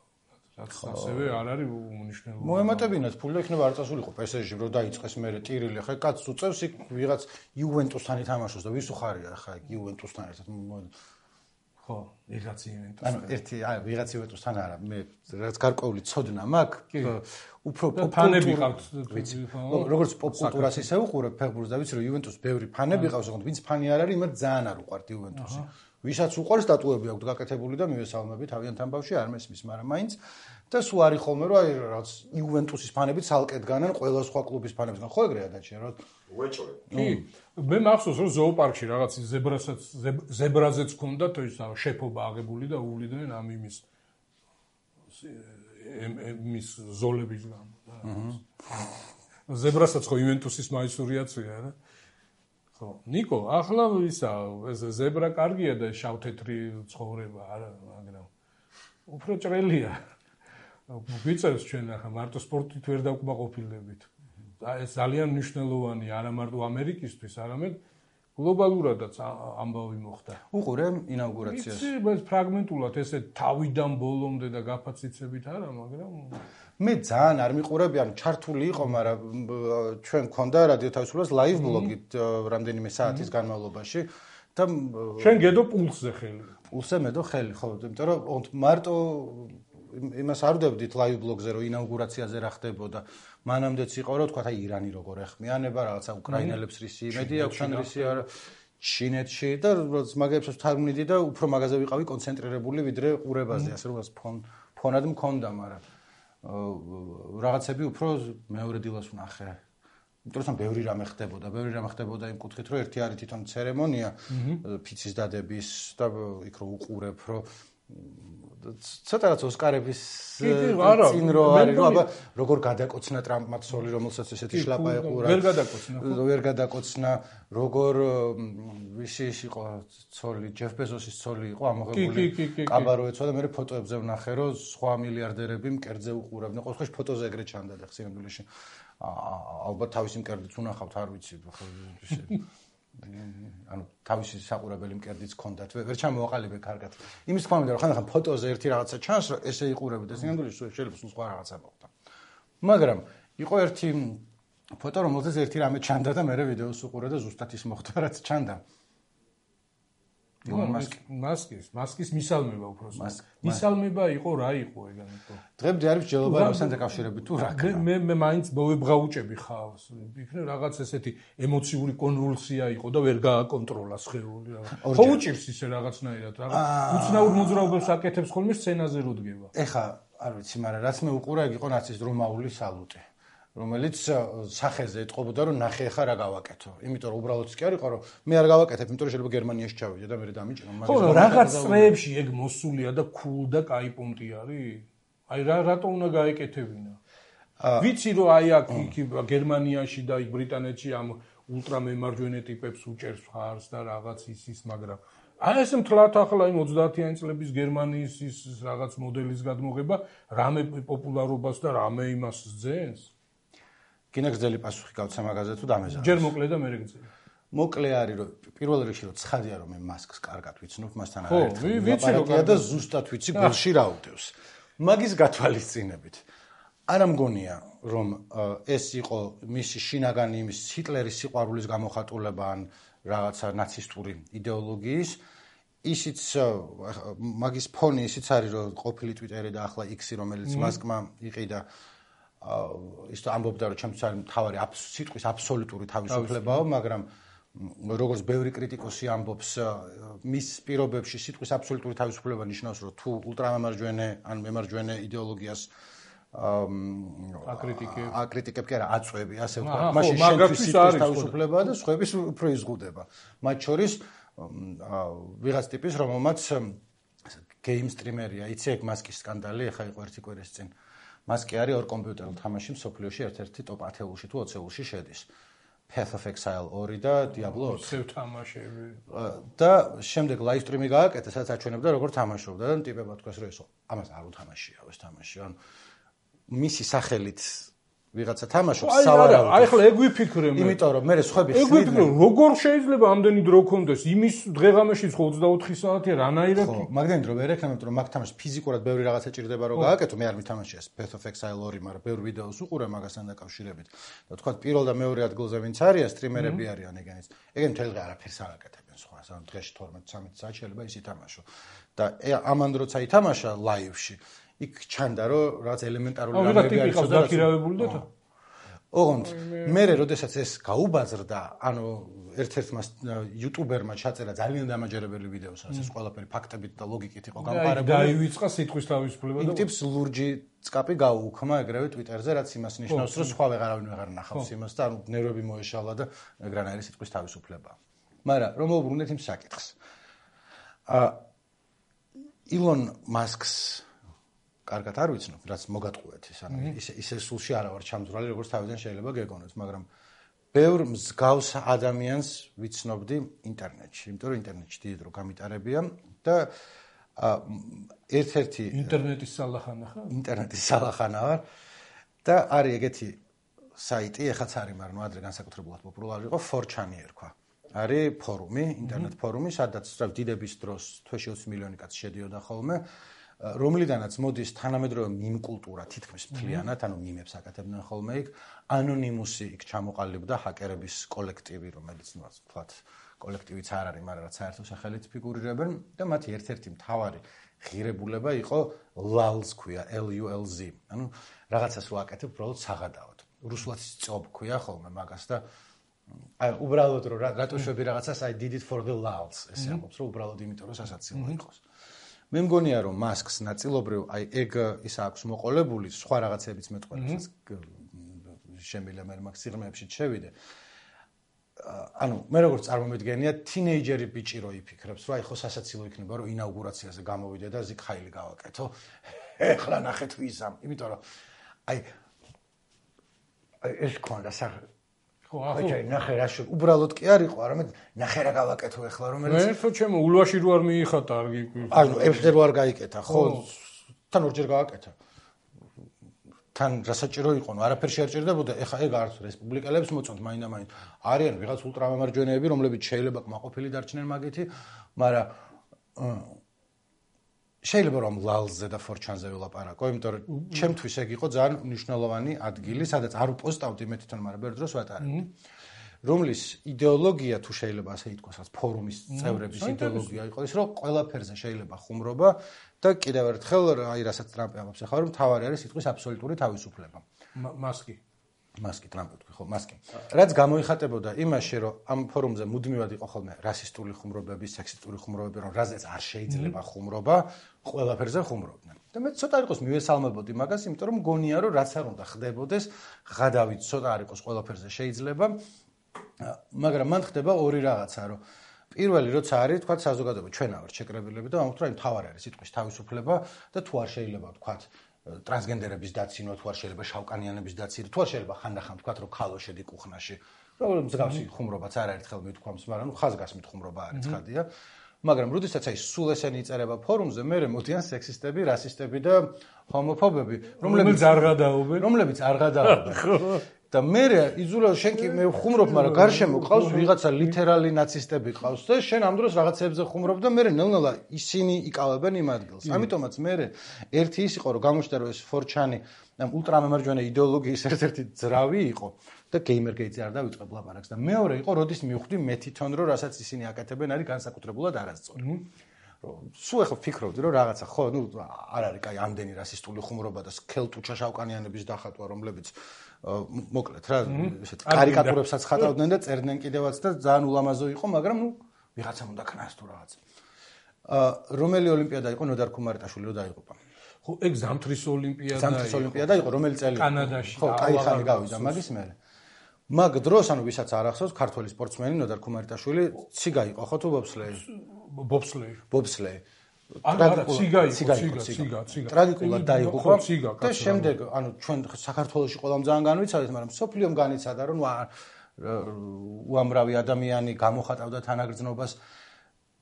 რაც ასევე არ არის უნიშნელობა. მოემატებინათ ფული და იქნება არ წასულიყო პესეჟში, რომ დაიწყეს მერე ტირილი, ხა კაც უწევს იქ ვიღაც იუვენტუსთან ითამაშოს და ვის უხარია ხა იქ იუვენტუსთან ერთად. ხო, ვიღაც იუვენტუსთან. ანუ ერთი, აი, ვიღაც იუვენტუსთან არა, მე რაც გარკვეული ცოდნა მაქვს, უფრო ფანები ყავთ, ვიცი. როგორც პოპ კულტურას ისე უყურებ ფეხბურთს და ვიცი რომ იუვენტუს ბევრი ფანები ყავს, თუმცა ვინც ფანი არ არის, იმათ ძალიან არ უყვართ იუვენტუსი. ვისაც უყვარს სტატუები აქვს გაკეთებული და მივესალმები თავიანთან ბავშვი არ მესმის, მაგრამ მაინც და სულ არის ხოლმე რომ აი რაც იუვენტუსის ფანები ცალკე დგანან ყველა სხვა კლუბის ფანებისგან. ხო ეგრეა დაჩი რა. უეჭვე. კი. მე მახსოვს რომ ზოოპარკში რაღაც ზებრასაც ზებრაზეც ქონდათ ის შეფობა აღებული და უვლიდნენ ამ იმის იმის ზოლების გამო და. ზებრასაც ხო იუვენტუსის მაისურიაცია რა. ხო, ნიკო, ახლა ისა ეს ზებრა კარგია და შავ-თეთრი ცხოვრება არა, მაგრამ უფრო ჭრელია. ვიცეს ჩვენ ახლა მარტო სპორტით ვერ დავკმაყოფილდებით. ეს ძალიან მნიშვნელოვანია არა მარტო ამერიკისთვის, არამედ გლობალურადაც ამბავი მოხდა. უყურე ინაუგურაციას. იცი, ეს ფრაგმენტულად ესე თავიდან ბოლომდე და გაფაციცებით არა, მაგრამ მე ძალიან არ მიყურები, ანუ ჩართული იყო, მაგრამ ჩვენ გქონდა რადიო თავისუფლებას ლაივ ბლოგით რამდენიმე საათის განმავლობაში და ჩვენ გედო პულსზე ხელი. პულსზე მედო ხელი, ხო, იმიტომ რომ მარტო იმას არ ვდებდით ლაივ ბლოგზე, რომ ინაუგურაციაზე რა ხდებოდა. მანამდეც იყო, რომ თქვა, აი ირანი როგორ ეხმიანება, რაღაცა უკრაინელებს რისი იმედი აქვს, ან რისი არა ჩინეთში და მაგებსაც თარგმნიდი და უფრო მაგაზე ვიყავი კონცენტრირებული ვიდრე ყურებაზე, ასე რომ ფონ ფონად მქონდა, მაგრამ რაღაცები უფრო მეორე დილას ვნახე. იმიტომ რომ ბევრი რამე ხდებოდა, ბევრი რამე ხდებოდა იმ კუთხით, რომ ერთი არის თვითონ ცერემონია ფიცის დადების და იქ რო უყურებ, რომ ცოტა რაც ოსკარების წინ რო არის, რომ აბა როგორ გადაკოცნა ტრამპმა ცოლი, რომელსაც ესეთი შლაპა ეყურა. ვერ გადაკოცნა. ვერ გადაკოცნა, როგორ ვისი იყო ცოლი, ჯეფ ბეზოსის ცოლი იყო ამოღებული. კაბარო ეცვა და მე ფოტოებზე ვნახე, რომ სხვა მილიარდერები მკერდზე უყურებდნენ. ყოველ შემთხვევაში ფოტოზე ეგრე ჩანდა და ხსენებულში. ალბათ თავისი მკერდიც უნახავთ, არ ვიცი, ხო ისე. ანუ თავისი საყურებელი მკერდიც ჰქონდათ, ვერ ჩამოვაყალიბე კარგად. იმის თქმა უნდა, რომ ხანდახან ფოტოზე ერთი რაღაცა ჩანს, რომ ესე იყურები და სინამდვილეში შეიძლება სხვა რაღაცა მოხდა. მაგრამ იყო ერთი ფოტო, რომელზეც ერთი რამე ჩანდა და მე ვიდეოს უყურე და ზუსტად ის მოხდა, რაც ჩანდა. მასკის, მასკის მისალმება უბრალოდ. მისალმება იყო რა იყო ეგანიტო. დღემდე არის მსჯელობა რუსთან დაკავშირებით თუ რა. მე მე მაინც მოვებღაუჭები ხავს. იქნებ რაღაც ესეთი ემოციური კონვულსია იყო და ვერ გააკონტროლა სხეული რაღაც. ხო უჭირს ისე რაღაცნაირად, რაღაც უცნაურ მოძრაობებს აკეთებს ხოლმე სცენაზე რო დგება. ეხა არ ვიცი, მაგრამ რაც მე უყურე, იქ იყო ნაცის რომაული სალუტე. რომელიც სახეზე ეთყობოდა რომ ნახე ხა რა გავაკეთო. იმიტომ რომ უბრალოდ კი არ იყო რომ მე არ გავაკეთებ, იმიტომ რომ შეიძლება გერმანიაში ჩავიდე და მე დამიჭირო. ხო, რაღაც წრეებში ეგ მოსულია და cool და кай პუნქტი არის. აი რა რატო უნდა გაეკეთებინა? ვიცი რომ აი აქ გერმანიაში და იქ ბრიტანეთში ამ ულტრამემარჯვენე ტიპებს უჭერს ხარს და რაღაც ის ის, მაგრამ აი ეს მთლად ახლა იმ ოცდაათიანი წლების გერმანიის ის რაღაც მოდელის გადმოღება რამე პოპულარობას და რამე იმას ძენს. კინა გრძელი პასუხი გავცა მაგაზე თუ დამეზარდეს. ჯერ მოკლე და მერე გრძელი. მოკლე არის რომ პირველ რიგში რომ ცხადია რომ მე მასკს კარგად ვიცნობ, მასთან არ ერთად. ხო, ვიცი რომ და ზუსტად ვიცი გულში რა უდევს. მაგის გათვალისწინებით არა მგონია რომ ეს იყო მისი შინაგანი იმის ჰიტლერის სიყვარულის გამოხატულება ან რაღაცა ნაცისტური იდეოლოგიის. ისიც მაგის ფონი ისიც არის რომ ყოფილი ტვიტერი და ახლა X-ი რომელიც მასკმა იყიდა ის ამბობდა რომ ჩემთვის არის მთავარი სიტყვის აბსოლუტური თავისუფლებაა, მაგრამ როგორც ბევრი კრიტიკოსი ამბობს, მის პირობებში სიტყვის აბსოლუტური თავისუფლება ნიშნავს, რომ თუ ულტრამემარჯვენე ან მემარჯვენე იდეოლოგიას აკრიტიკებ აკრიტიკებ კი არა აწვევი, ასე ვთქვათ, მაშინ შენთვის სიტყვის თავისუფლებაა და სხვების უფრო იზღუდება. მათ შორის ვიღაც ტიპის, რომელმაც გეიმ სტრიმერია, იცი ეგ მასკის სკანდალი, ეხა იყო ერთი კვირის წინ. მას კი არის ორ კომპიუტერულ თამაში მსოფლიოში ერთ-ერთი ტოპ ათეულში თუ ოცეულში შედის. Path of Exile ორი და Diablo ოთხი. ისევ თამაშები. და შემდეგ live stream-ი გააკეთა, სადაც აჩვენებდა როგორ თამაშობდა და ტიპებმა თქვეს რომ ესო ამას არ უთამაშია ეს თამაში. ანუ მისი სახელით ვიღაცა თამაშობს სავარაუდოდ. აი ახლა ეგ ვიფიქრე მე. იმიტომ რომ მე სხვები ხსნიდნენ. ეგ ვიფიქრე როგორ შეიძლება ამდენი დრო კონდეს იმის დღეღამეში ხო ოცდაოთხი საათი რანაირად? ხო, მაგდენით რომ ვერ ეხნებოდ რომ მაგ თამაშს ფიზიკურად ბევრი რაღაცა ჭირდება რომ გააკეთო, მე არ მითამაშია ეს Path of Exile ორი, მაგრამ ბევრ ვიდეოს უყურე მაგასთან დაკავშირებით. და თქვა პირველ და მეორე ადგილზე ვინც არიან, სტრიმერები არიან ეგენიც. ეგენ მთელ დღე არაფერს არ აკეთებენ სხვა, ანუ დღეში თორმეტ წამეტ საათი შეიძლება ის ითამაშო. და ამან როცა ითამაშა live-ში იქ ჩანდა რომ რაღაც ელემენტარული რამეები არის და დაქირავებული და ოღონდ მე როდესაც ეს გაუბაზრდა, ანუ ერთ-ერთმა იუტუბერმა ჩაწერა ძალიან დამაჯერებელი ვიდეო, სადაც ეს ყველაფერი ფაქტებით და ლოგიკით იყო გამყარებული. დაივიწყა სიტყვის თავისუფლება და ტიპს ლურჯი წკაპი გაუუქმა ეგრევე ტვიტერზე, რაც იმას ნიშნავს, რომ სხვა ვეღარავინ ვეღარ ნახავს იმას და ანუ ნერვები მოეშალა და ეგრანაირი სიტყვის თავისუფლება. მაგრამ რომ მოვუბრუნდეთ იმ საკითხს. აა ილონ მასკს კარგად არ ვიცნობ, რაც მოგატყუეთ ის, ანუ ისე ისე სულში არა ვარ ჩამძვრალი, როგორც თავიდან შეიძლება გეგონოთ, მაგრამ ბევრ მსგავს ადამიანს ვიცნობდი ინტერნეტში, იმიტომ რომ ინტერნეტში დიდი დრო გამიტარებია და ერთ-ერთი ინტერნეტის სალახანა ხარ? ინტერნეტის სალახანა ვარ და არის ეგეთი საიტი, ეხაც არის, მაგრამ ადრე განსაკუთრებულად პოპულარული იყო, four chan ერქვა. არის ფორუმი, ინტერნეტ ფორუმი, სადაც დიდების დროს თვეში ოცი მილიონი კაცი შედიოდა ხოლმე. რომლიდანაც მოდის თანამედროვე მიმ კულტურა თითქმის მთლიანად, ანუ მიმებს აკეთებდნენ ხოლმე იქ, ანონიმუსი იქ ჩამოყალიბდა ჰაკერების კოლექტივი, რომელიც ნუ ვთქვათ, კოლექტივიც არ არის, მაგრამ რაც საერთო სახელით ფიგურირებენ და მათი ერთ-ერთი მთავარი ღირებულება იყო lulz ქვია, L U L Z. ანუ რაღაცას რო აკეთებ, უბრალოდ საღადაოდ. რუსულად სწობ ქვია ხოლმე მაგას და აი უბრალოდ რო რატო შვები რაღაცას I did it for the lulz. ესე ამბობს, რომ უბრალოდ იმიტომ რომ სასაცილო იყოს. მე მგონია რომ მასკს ნაწილობრივ აი ეგ ის აქვს მოყოლებული სხვა რაღაცებიც მეტყველებს შემიძლია მე მაგ სიღრმეებში შევიდე. ანუ მე როგორც წარმომედგენია თინეიჯერი ბიჭი რო იფიქრებს რომ აი ხო სასაცილო იქნება რომ ინაუგურაციაზე გამოვიდე და ზიქაილი გავაკეთო. ეხლა ნახეთ ვიზამ, იმიტომ რომ აი ეს კონდა სა ხო, ახლა ნახე რა შე უბრალოდ კი არ იყო, არამედ ნახე რა გავაკეთო ახლა რომელიც მე ხო ჩემო ულვაში რო არ მიიხატა არ გიყვი. ანუ ევსზე რო არ გაიკეთა, ხო? თან ორჯერ გააკეთა. თან რასაჭირო იყო, ნუ არაფერი შეერჭირდებოდა, ეხა ეგ არც რესპუბლიკელებს მოწონთ მაინდა-მაინც. არიან ვიღაც ულტრამემარჯვენეები, რომლებიც შეიძლება კმაყოფილი დარჩნენ მაგითი, მაგრამ შეიძლება რომ lulz-ზე და four chan-ზე ვილაპარაკო, იმიტომ რომ ჩემთვის ეგ იყო ძალიან მნიშვნელოვანი ადგილი, სადაც არ უპოსტავდი მე თვითონ, მაგრამ ბევრ დროს ვატარებდი. რომლის იდეოლოგია თუ შეიძლება ასე ითქვას, რაც ფორუმის წევრების იდეოლოგია იყო ის, რომ ყველაფერზე შეიძლება ხუმრობა და კიდევ ერთხელ აი რასაც ტრამპი ამბობს ახლა რომ თავარი არის სიტყვის აბსოლუტური თავისუფლება. მასკი მასკი ტრამპი თქვი ხო, მასკი. რაც გამოიხატებოდა იმაში, რომ ამ ფორუმზე მუდმივად იყო ხოლმე რასისტული ხუმრობები, სექსისტული ხუმრობები, რომ რაზეც არ შეიძლება ხუმრობა, ყველაფერზე ხუმრობდნენ. და მე ცოტა იყოს მივესალმებოდი მაგას, იმიტომ რომ მგონია, რომ რაც არ უნდა ხდებოდეს, ღადავით ცოტა არ იყოს ყველაფერზე შეიძლება. მაგრამ მან ხდება ორი რაღაცა, რომ პირველი როცა არის, თქვა საზოგადოება, ჩვენა ვართ შეკრებილები და ამიტომ აი თავარი არის სიტყვის თავისუფლება და თუ არ შეიძლება თქვა ტრანსგენდერების დაცინვა, თუ არ შეიძლება შავკანიანების დაცინვა, თუ არ შეიძლება ხანდახან თქვა რომ ქალო შედი კუხნაში. რომ მსგავსი ხუმრობაც არაერთხელ მithქვამს, მაგრამ ნუ ხაზგასმით ხუმრობა არის ცხადია. მაგრამ როდესაც აი სულ ესენი იწერება ფორუმზე, მე მოდიან სექსისტები, რასისტები და ჰომოფობები, რომლებიც არ გადაობენ, რომლებიც არ გადაობენ. და მე იზულა შენ კი მე ხუმრობ, მაგრამ გარშემო ყავს ვიღაცა ლიტერალი ნაცისტები ყავს და შენ ამ დროს რაღაცებზე ხუმრობ და მე ნელ-ნელა ისინი იკავებენ იმ ადგილს. ამიტომაც მე ერთი ის იყო რომ გამოჩნდა რომ ეს four chan-ი ამ ულტრამემარჯვენე იდეოლოგიის ერთ-ერთი ძრავი იყო და გეიმერგეიტზე არ დავიწყებ ლაპარაკს და მეორე იყო როდის მივხვდი მე თვითონ რომ რასაც ისინი აკეთებენ არის განსაკუთრებულად არასწორი. სულ ახლა ფიქრობდი რომ რაღაცა ხო ნუ არ არის კაი ამდენი რასისტული ხუმრობა და სქელტუჩა შავკანიანების დახატვა რომლებიც მოკლედ რა ესეთ კარიკატურებსაც ხატავდნენ და წერდნენ კიდევაც და ძალიან ულამაზო იყო, მაგრამ ნუ ვიღაცამ უნდა ქნას თუ რაღაც. აა რომელი ოლიმპიადა იყო ნოდარ ქუმარიტაშვილი რო დაიღუპა? ხო, ეგ ზამთრის ოლიმპიადა იყო. ზამთრის ოლიმპიადა იყო, რომელი წელი? კანადაში. ხო, კაი ხანი გავიდა მაგის მერე. მაგ დროს ანუ ვისაც არ ახსოვს, ქართველი სპორტსმენი ნოდარ ქუმარიტაშვილი ციგა იყო ხო თუ ბობსლეი? ბობსლეი. ბობსლეი. არა, ციგა იყო, ციგა, ციგა, ციგა. ტრაგიკულად დაიღუპა და შემდეგ, ანუ ჩვენ საქართველოში ყველამ ძალიან განვიცადეთ, მაგრამ სოფლიომ განიცადა, რომ უამრავი ადამიანი გამოხატავდა თანაგრძნობას.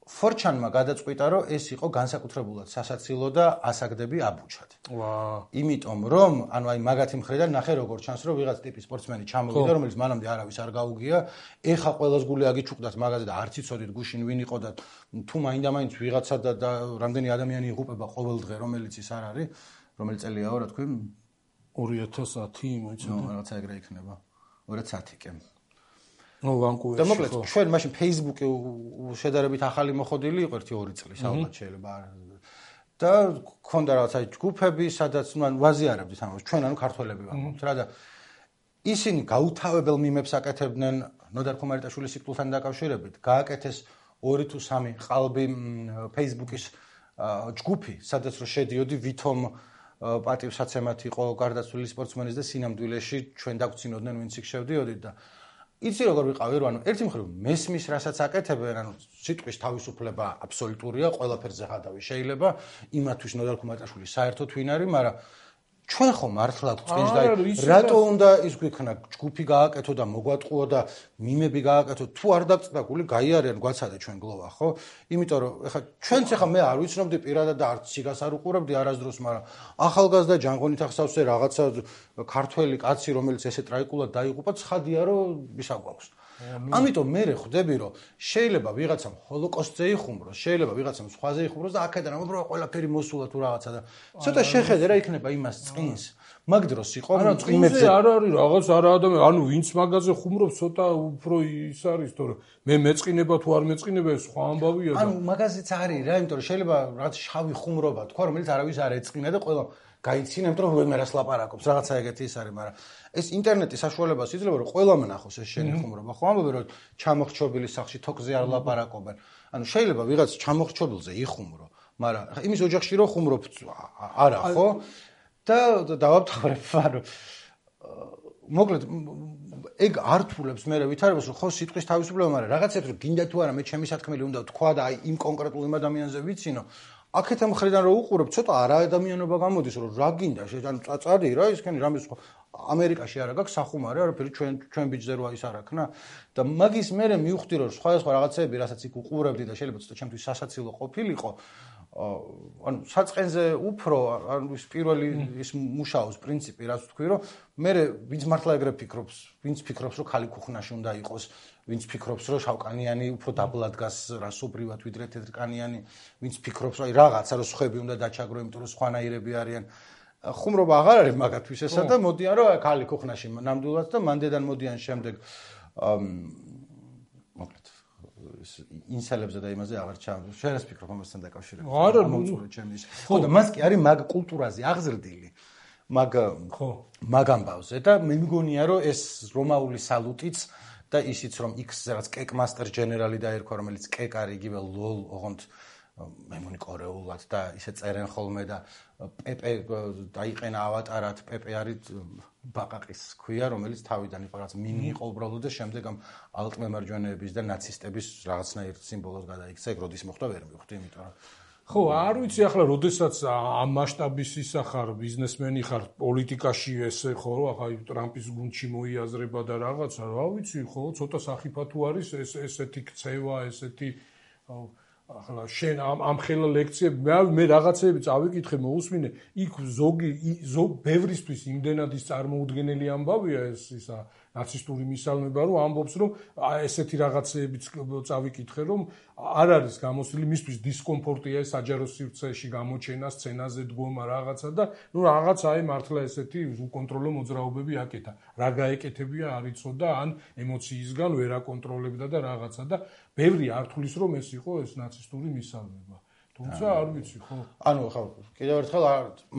ფორჩანმა გადაწყვიტა, რომ ეს იყო განსაკუთრებულად სასაცილო და ასაგდები აბუჩად. ვა. იმიტომ რომ, ანუ აი მაგათი მხრიდან ნახე როგორ ჩანს, რომ ვიღაც ტიპის სპორტსმენი ჩამოვიდა, რომელიც მანამდე არავის არ გაუგია, ეხა ყველას გული აგიჩუქდათ მაგაზე და არც იცოდით გუშინ ვინ იყო და თუ მაინდა-მაინც ვიღაცა და რამდენი ადამიანი იღუპება ყოველ დღე, რომელიც ის არ არის, რომელი წელიაო, რა თქვი? ორი ათას ათი, მოიცადე. ნუ რაღაცა ეგრე იქნება. ორი ათას ათი კი. ნუ ვანკუვერში. და მოკლედ ჩვენ მაშინ Facebook-ი შედარებით ახალი მოხდილი იყო ერთი ორი წლის ალბათ შეიძლება. და ქონდა რაღაცა ჯგუფები, სადაც ნუ ვაზიარებდით ამას. ჩვენ ანუ ქართველები ვართ რა და ისინი გაუთავებელ მიმებს აკეთებდნენ ნოდარ ხუმარიტაშვილის სიკვდილთან დაკავშირებით. გააკეთეს ორი თუ სამი ყალბი Facebook-ის ჯგუფი, სადაც რო შედიოდი ვითომ პატივსაცემად იყო გარდაცვლილი სპორტსმენის და სინამდვილეში ჩვენ დაგვრცინოდნენ ვინც იქ შევდიოდით და იცი როგორ ვიყავი რომ ანუ ერთი მხრივ მესმის რასაც აკეთებენ ანუ სიტყვის თავისუფლება აბსოლუტურია ყველაფერზე ხადავი შეიძლება იმათვის ნოდარ ხუმარიტაშვილი საერთოდ ვინ არის მაგრამ ჩვენ ხომ მართლა გვწინს და რატო უნდა ის გვიქნა ჯგუფი გააკეთო და მოგვატყუო და მიმები გააკეთო თუ არ დაგწდა გული გაიარიან გვაცადე ჩვენ გლოვა ხო იმიტომ რომ ეხა ჩვენც ეხა მე არ ვიცნობდი პირადად და არც სიგას არ უყურებდი არასდროს მაგრამ ახალგაზრდა ჯანღონით ახსავსე რაღაცა ქართველი კაცი რომელიც ესე ტრაიკულად დაიღუპა ცხადია რომ ისა გვაქვს ამიტომ მე ხვდები რომ შეიძლება ვიღაცამ ჰოლოკოსტზე იხუმროს შეიძლება ვიღაცამ სხვაზე იხუმროს და აქედან უბრალოდ ყველაფერი მოსულა თუ რაღაცა და ცოტა შეხედე რა იქნება იმას წინს მაგ დროს იყო წინებზე არ არის რაღაც არა ადამიანი ანუ ვინც მაგაზე ხუმრობს ცოტა უფრო ის არის თორე მე მეწყინება თუ არ მეწყინება ეს სხვა ამბავია და ანუ მაგაზეც არის რა იმიტომ რომ შეიძლება რაღაც შავი ხუმრობა თქვა რომელიც არავის არ ეწყინა და ყველა გაიცინებთ რომ ვერას ლაპარაკობს რაღაცა ეგეთი ის არის მაგრამ ეს ინტერნეტის საშუალებას იძლევა რომ ყველა მნახოს ეს შენი ხუმრობა ხო ამბობენ რომ ჩამოხრჩობილი სახში თოკზე არ ლაპარაკობენ ანუ შეიძლება ვიღაც ჩამოხრჩობილზე იხუმრო მაგრამ იმის ოჯახში რომ ხუმრობ არა ხო და დავამთავრებ მაგრამ მოკლედ ეგ ართულებს მე ვითარებას რომ ხო სიტყვის თავისუფლება მაგრამ რაღაცებს რომ გინდა თუ არა მე ჩემი სათქმელი უნდა თქვა და აი იმ კონკრეტულ იმ ადამიანზე ვიცინო აქეთ ამხრიდან რომ უყურებ ცოტა არა ადამიანობა გამოდის რომ რა გინდა ანუ წაწარი რა ისქენი რამის ამერიკაში არა გაქვს სახუმარი არაფერი ჩვენ ჩვენ ბიჭზე როა ის არ აქნა და მაგის მერე მივხვდი რომ სხვა სხვა რაღაცეები რასაც იქ უყურებდი და შეიძლება ცოტა ჩემთვის სასაცილო ყოფილიყო ანუ საწყენზე უფრო ანუ ის პირველი ის მუშაობს პრინციპი რაც თქვი რომ მე ვინც მართლა ეგრე ფიქრობს ვინც ფიქრობს რომ ხალი ქუხნაში უნდა იყოს ვინც ფიქრობს რომ შავკანიანი უფრო დაბლა დგას რასობრივად ვიდრე თეთრკანიანი ვინც ფიქრობს რომ აი რაღაცა რომ სხვები უნდა დაჩაგრო იმიტომ რომ სხვანაირები არიან ხუმრობა აღარ არის მაგათვის ესა და მოდიან რომ ხალი ქუხნაში ნამდვილად და მანდედან მოდიან შემდეგ მოკლედ ინსალებზე და იმაზე აღარ ჩამ შენს ფიქრობ ამასთან დაკავშირებით არა მოწურე ჩემი ის ხო და მას კი არის მაგ კულტურაზე აღზრდილი მაგ ხო მაგ ამბავზე და მე მგონია რომ ეს რომაული სალუტიც და ისიც რომ X რაღაც კეკ მასტერ ჯენერალი დაერქვა რომელიც კეკ არის იგივე ლოლ ოღონდ მე მგონი კორეულად და ისე წერენ ხოლმე და პეპე დაიყენა ავატარად პეპე არის ბაყაყის ქვია რომელიც თავიდან იყო რაღაც მინი იყო უბრალოდ და შემდეგ ამ ალტმემარჯვენეების და ნაცისტების რაღაცნაირ სიმბოლოს გადაიქცა ეგ როდის მოხდა ვერ მივხვდი იმიტომ რომ ხო არ ვიცი ახლა როდესაც ამ მასშტაბის ისა ხარ ბიზნესმენი ხარ პოლიტიკაში ესე ხო ახლა ტრამპის გუნდში მოიაზრება და რაღაცა რა ვიცი ხო ცოტა სახიფა თუ არის ეს ესეთი ქცევა ესეთი ახლა შენ ამ ამ ხელა ლექციები მე მე რაღაცეები წავიკითხე მოусმინე იქ ზოგი ზოგ ბევრისთვის იმდენად ის წარმოუდგენელი ამბავია ეს ისა ნაცისტური მისალმება რომ ამბობს რომ ესეთი რაღაცეებიც წავიკითხე რომ არ არის გამოსილი მისთვის დისკომფორტია საჯარო სივრცეში გამოჩენა სცენაზე დგომა რაღაცა და ნუ რაღაცა აი მართლა ესეთი უკონტროლო მოძრაობები აკეთა რა გაეკეთებია არ იცოდა ან ემოციისგან ვერ აკონტროლებდა და რაღაცა და ბევრი არ თulis რომ ეს იყო ეს ნაცისტური მისალმება თუმცა არ ვიცი ხო ანუ ხო კიდევ ერთხელ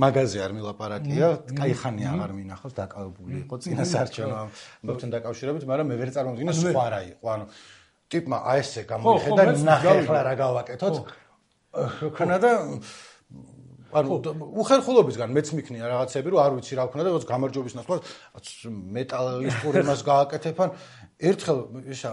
მაგაზე არ მილაპარაკია кайხანი აღარ მინახავს დაკავებული იყო წინასარჩენო ამბობთან დაკავშირებით მაგრამ მე ვერ წარმოვიდგინე სხვა რა იყო ანუ ტიპმა აი ესე გამოიხედა ნახე ახლა რა გავაკეთოთ ხონა და ანუ უხერხულობისგან მეც მიქნია რაღაცები რომ არ ვიცი რა ვქნა და როგორც გამარჯვების ნაცვლად მეტალისტური მას გააკეთებ ან ერთხელ ისა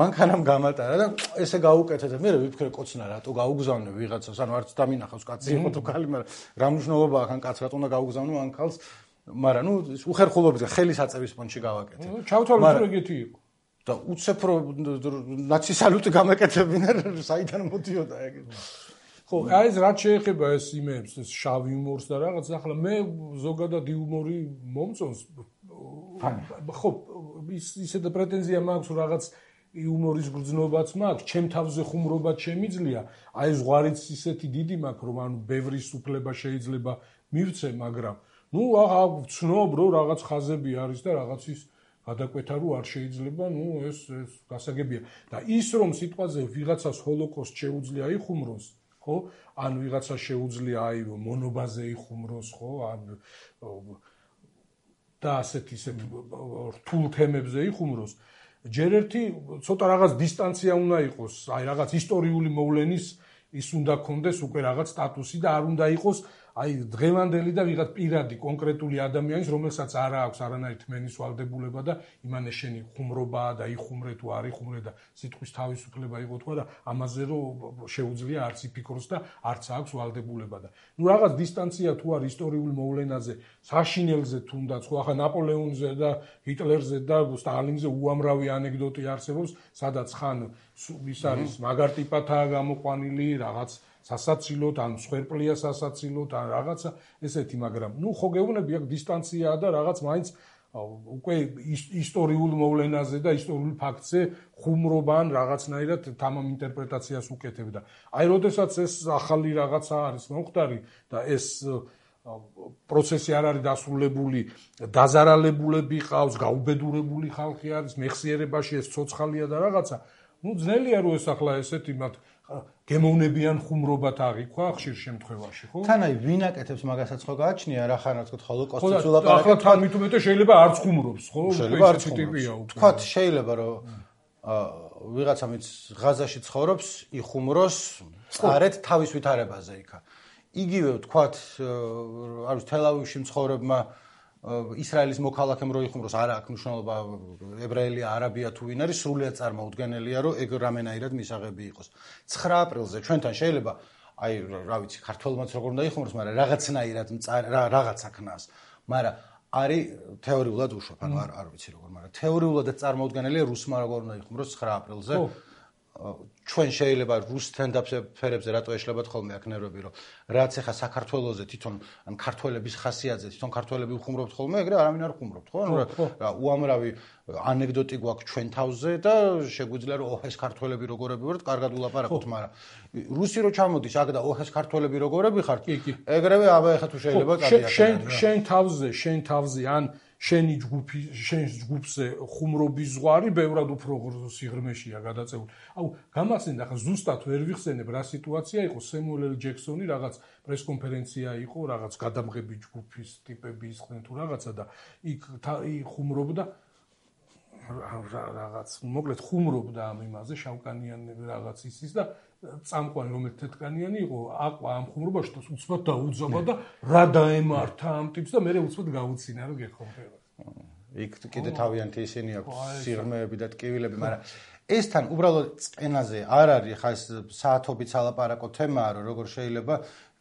მანქანამ გამატარა და ესე გაუკეთეთ და მე ვიფიქრე კოცნა რატო გაუგზავნე ვიღაცას ანუ არც დამინახავს კაცი იყო თუ ქალი მაგრამ რა მნიშვნელობა აქვს ან კაც რატო უნდა გაუგზავნო ან ქალს მაგრამ ნუ უხერხულობაზე ხელის აწევის პონჩი გავაკეთე ჩავთვალე თუ ეგეთი იყო და უცებ რო ნაცისალუტი გამეკეთებინა საიდან მოდიოდა ეგ ხო აი ეს რაც შეეხება ეს იმებს ეს შავ იუმორს და რაღაც ახლა მე ზოგადად იუმორი მომწონს ხო ის ისე და პრეტენზია მაქვს რომ რაღაც იუმორის გრძნობაც მაქვს ჩემ თავზე ხუმრობაც შემიძლია აი ზღვარიც ისეთი დიდი მაქვს რომ ანუ ბევრი სუფლება შეიძლება მივცე მაგრამ ნუ აღა ვცნობ რომ რაღაც ხაზები არის და რაღაცის გადაკვეთა რო არ შეიძლება ნუ ეს ეს გასაგებია და ის რომ სიტყვაზე ვიღაცას ჰოლოკოსტ შეუძლია იხუმროს ხო ან ვიღაცა შეუძლია აი მონობაზე იხუმროს ხო ან და ასეთ ისეთ რთულ თემებზე იხუმროს ჯერ ერთი ცოტა რაღაც დისტანცია უნდა იყოს აი რაღაც ისტორიული მოვლენის ის უნდა კონდეს უკვე რაღაც სტატუსი და არ უნდა იყოს აი დღევანდელი და ვიღაც პირადი კონკრეტული ადამიანის რომელსაც არ აქვს არანაირი თმენის ვალდებულება და იმანე შენი ხუმრობაა და იხუმრე თუ არ იხუმრე და სიტყვის თავისუფლება იყო თქვა და ამაზე რომ შეუძლია არც იფიქროს და არც აქვს ვალდებულება და ნუ რაღაც დისტანცია თუ არ ისტორიული მოვლენაზე საშინელზე თუნდაც ხო ახლა ნაპოლეონზე და ჰიტლერზე და სტალინზე უამრავი ანეკდოტი არსებობს სადაც ხან ის არის მაგარ ტიპათაა გამოყვანილი რაღაც სასაცილოდ ან სვერპლია სასაცილოდ ან რაღაცა ესეთი მაგრამ ნუ ხო გეუბნები აქ დისტანციაა და რაღაც მაინც უკვე ისტორიულ მოვლენაზე და ისტორიულ ფაქტზე ხუმრობა ან რაღაცნაირად თამამ ინტერპრეტაციას უკეთებ და აი როდესაც ეს ახალი რაღაცა არის მომხდარი და ეს პროცესი არ არის დასრულებული დაზარალებულები ყავს გაუბედურებული ხალხი არის მეხსიერებაში ეს ცოცხალია და რაღაცა ნუ ძნელია რომ ეს ახლა ესეთი მათ გემოვნებიან ხუმრობათ აღიქვა ხშირ შემთხვევაში ხო? თან აი ვინ აკეთებს მაგასაც ხო გააჩნია რა ხარ თქო ჰოლოკოსტის ულაპარაკეთ. ახლა თან მით უმეტეს შეიძლება არც ხუმრობს ხო? შეიძლება არც ხუმრობს. თქვათ შეიძლება რომ ვიღაცა მიც ღაზაში ცხოვრობს, იხუმროს არეთ თავის ვითარებაზე იქა. იგივე თქვათ არის თელავივში მცხოვრებმა ისრაელის მოქალაქემ რო იხუმროს არა აქვს მნიშვნელობა ებრაელია არაბია თუ ვინ არის სრულიად წარმოუდგენელია რომ ეგ რამენაირად მისაღები იყოს ცხრა აპრილზე ჩვენთან შეიძლება აი რა ვიცი ქართველმაც როგორ უნდა იხუმროს მაგრამ რაღაცნაირად რაღაცა ქნას მაგრამ არის თეორიულად უშვებ ანუ არ არ ვიცი როგორ მაგრამ თეორიულადაც წარმოუდგენელია რუსმა როგორ უნდა იხუმროს ცხრა აპრილზე ჩვენ შეიძლება რუს თენდაფერებზე რატო ეშლებათ ხოლმე აქ ნერვები რომ რაც ახლა საქართველოზე თვითონ ან ქართველების ხასიათზე თვითონ ქართველები უხუმრობთ ხოლმე ეგრე არავინ არ ხუმრობთ ხო ანუ რა უამრავი ანეკდოტი გვაქვს ჩვენ თავზე და შეგვიძლია რომ ოჰ ეს ქართველები როგორები ვართ კარგად ულაპარაკოთ მაგრამ რუსი რო ჩამოდის აქ და ოჰ ეს ქართველები როგორები ხართ ეგრევე აბა ახლა თუ შეიძლება კარგია შენ შენ თავზე შენ თავზე ან შენი ჯგუფი შენ ჯგუფზე ხუმრობის ზღვარი ბევრად უფრო სიღრმეშია გადაწეული. აუ გამახსენდა ხა ზუსტად ვერ ვიხსენებ რა სიტუაცია იყო სემუელ ელ ჯექსონი რაღაც პრესკონფერენცია იყო რაღაც გადამღები ჯგუფის ტიპები ისხდნენ თუ რაღაცა და იქ ხუმრობდა რაღაც მოკლედ ხუმრობდა ამ იმაზე შავკანიანი რაღაც ისის და წამყვანი რომელიც თეთრკანიანი იყო აყვა ამ ხუმრობაში და უცბად დაუძაბა და რა დაემართა ამ ტიპს და მე უცბად გაუცინა რომ გეხომფერა. იქ კიდე თავიანთი ისინი აქვს სიღრმეები და ტკივილები, მაგრამ ეს თან უბრალოდ წენაზე არ არის ხა ეს საათობით ალაპარაკო თემაა რომ როგორ შეიძლება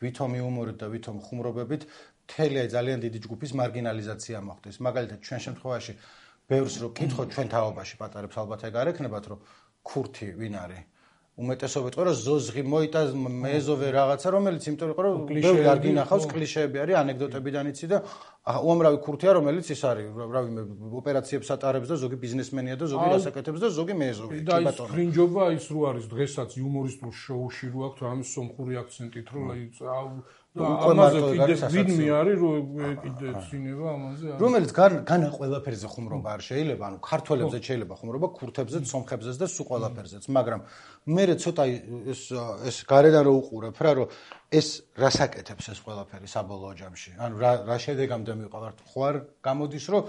ვითომ იუმორით და ვითომ ხუმრობებით მთელი აი ძალიან დიდი ჯგუფის მარგინალიზაცია მოხდეს. მაგალითად ჩვენ შემთხვევაში ბევრს რო კითხოთ ჩვენ თაობაში პატარებს ალბათ ეგ არ ექნებათ რომ ქურთი ვინ არის უმეტესობა იყო რომ ზოზღი მოიტა მეზოვე რაღაცა რომელიც იმიტომ იყო რომ ბევრი არ გინახავს კლიშეები არის ანეკდოტებიდან იცი და უამრავი ქურთია რომელიც ის არის რავი ოპერაციებს ატარებს და ზოგი ბიზნესმენია და ზოგი რასაკეთებს და ზოგი მეზოვე კი ბატონო და ფრინჯობა ის რო არის დღესაც იუმორისტულ შოუში რო აქვს ამის სომხური აქცენტით რომ ამაზე კიდე ვინმე არის რომ კიდე ცინება ამაზე რომელიც განა ყველაფერზე ხუმრობა არ შეიძლება ანუ ქართველებზე შეიძლება ხუმრობა ქურთებზეც სომხებზეც და სულ ყველაფერზეც მაგრამ მე ცოტა ეს ეს გარედან რო უყურებ რა რომ ეს რასაკეთებს ეს ყველაფერი საბოლოო ჯამში ანუ რა რა შედეგამდე მივყავართ ხო არ გამოდის რომ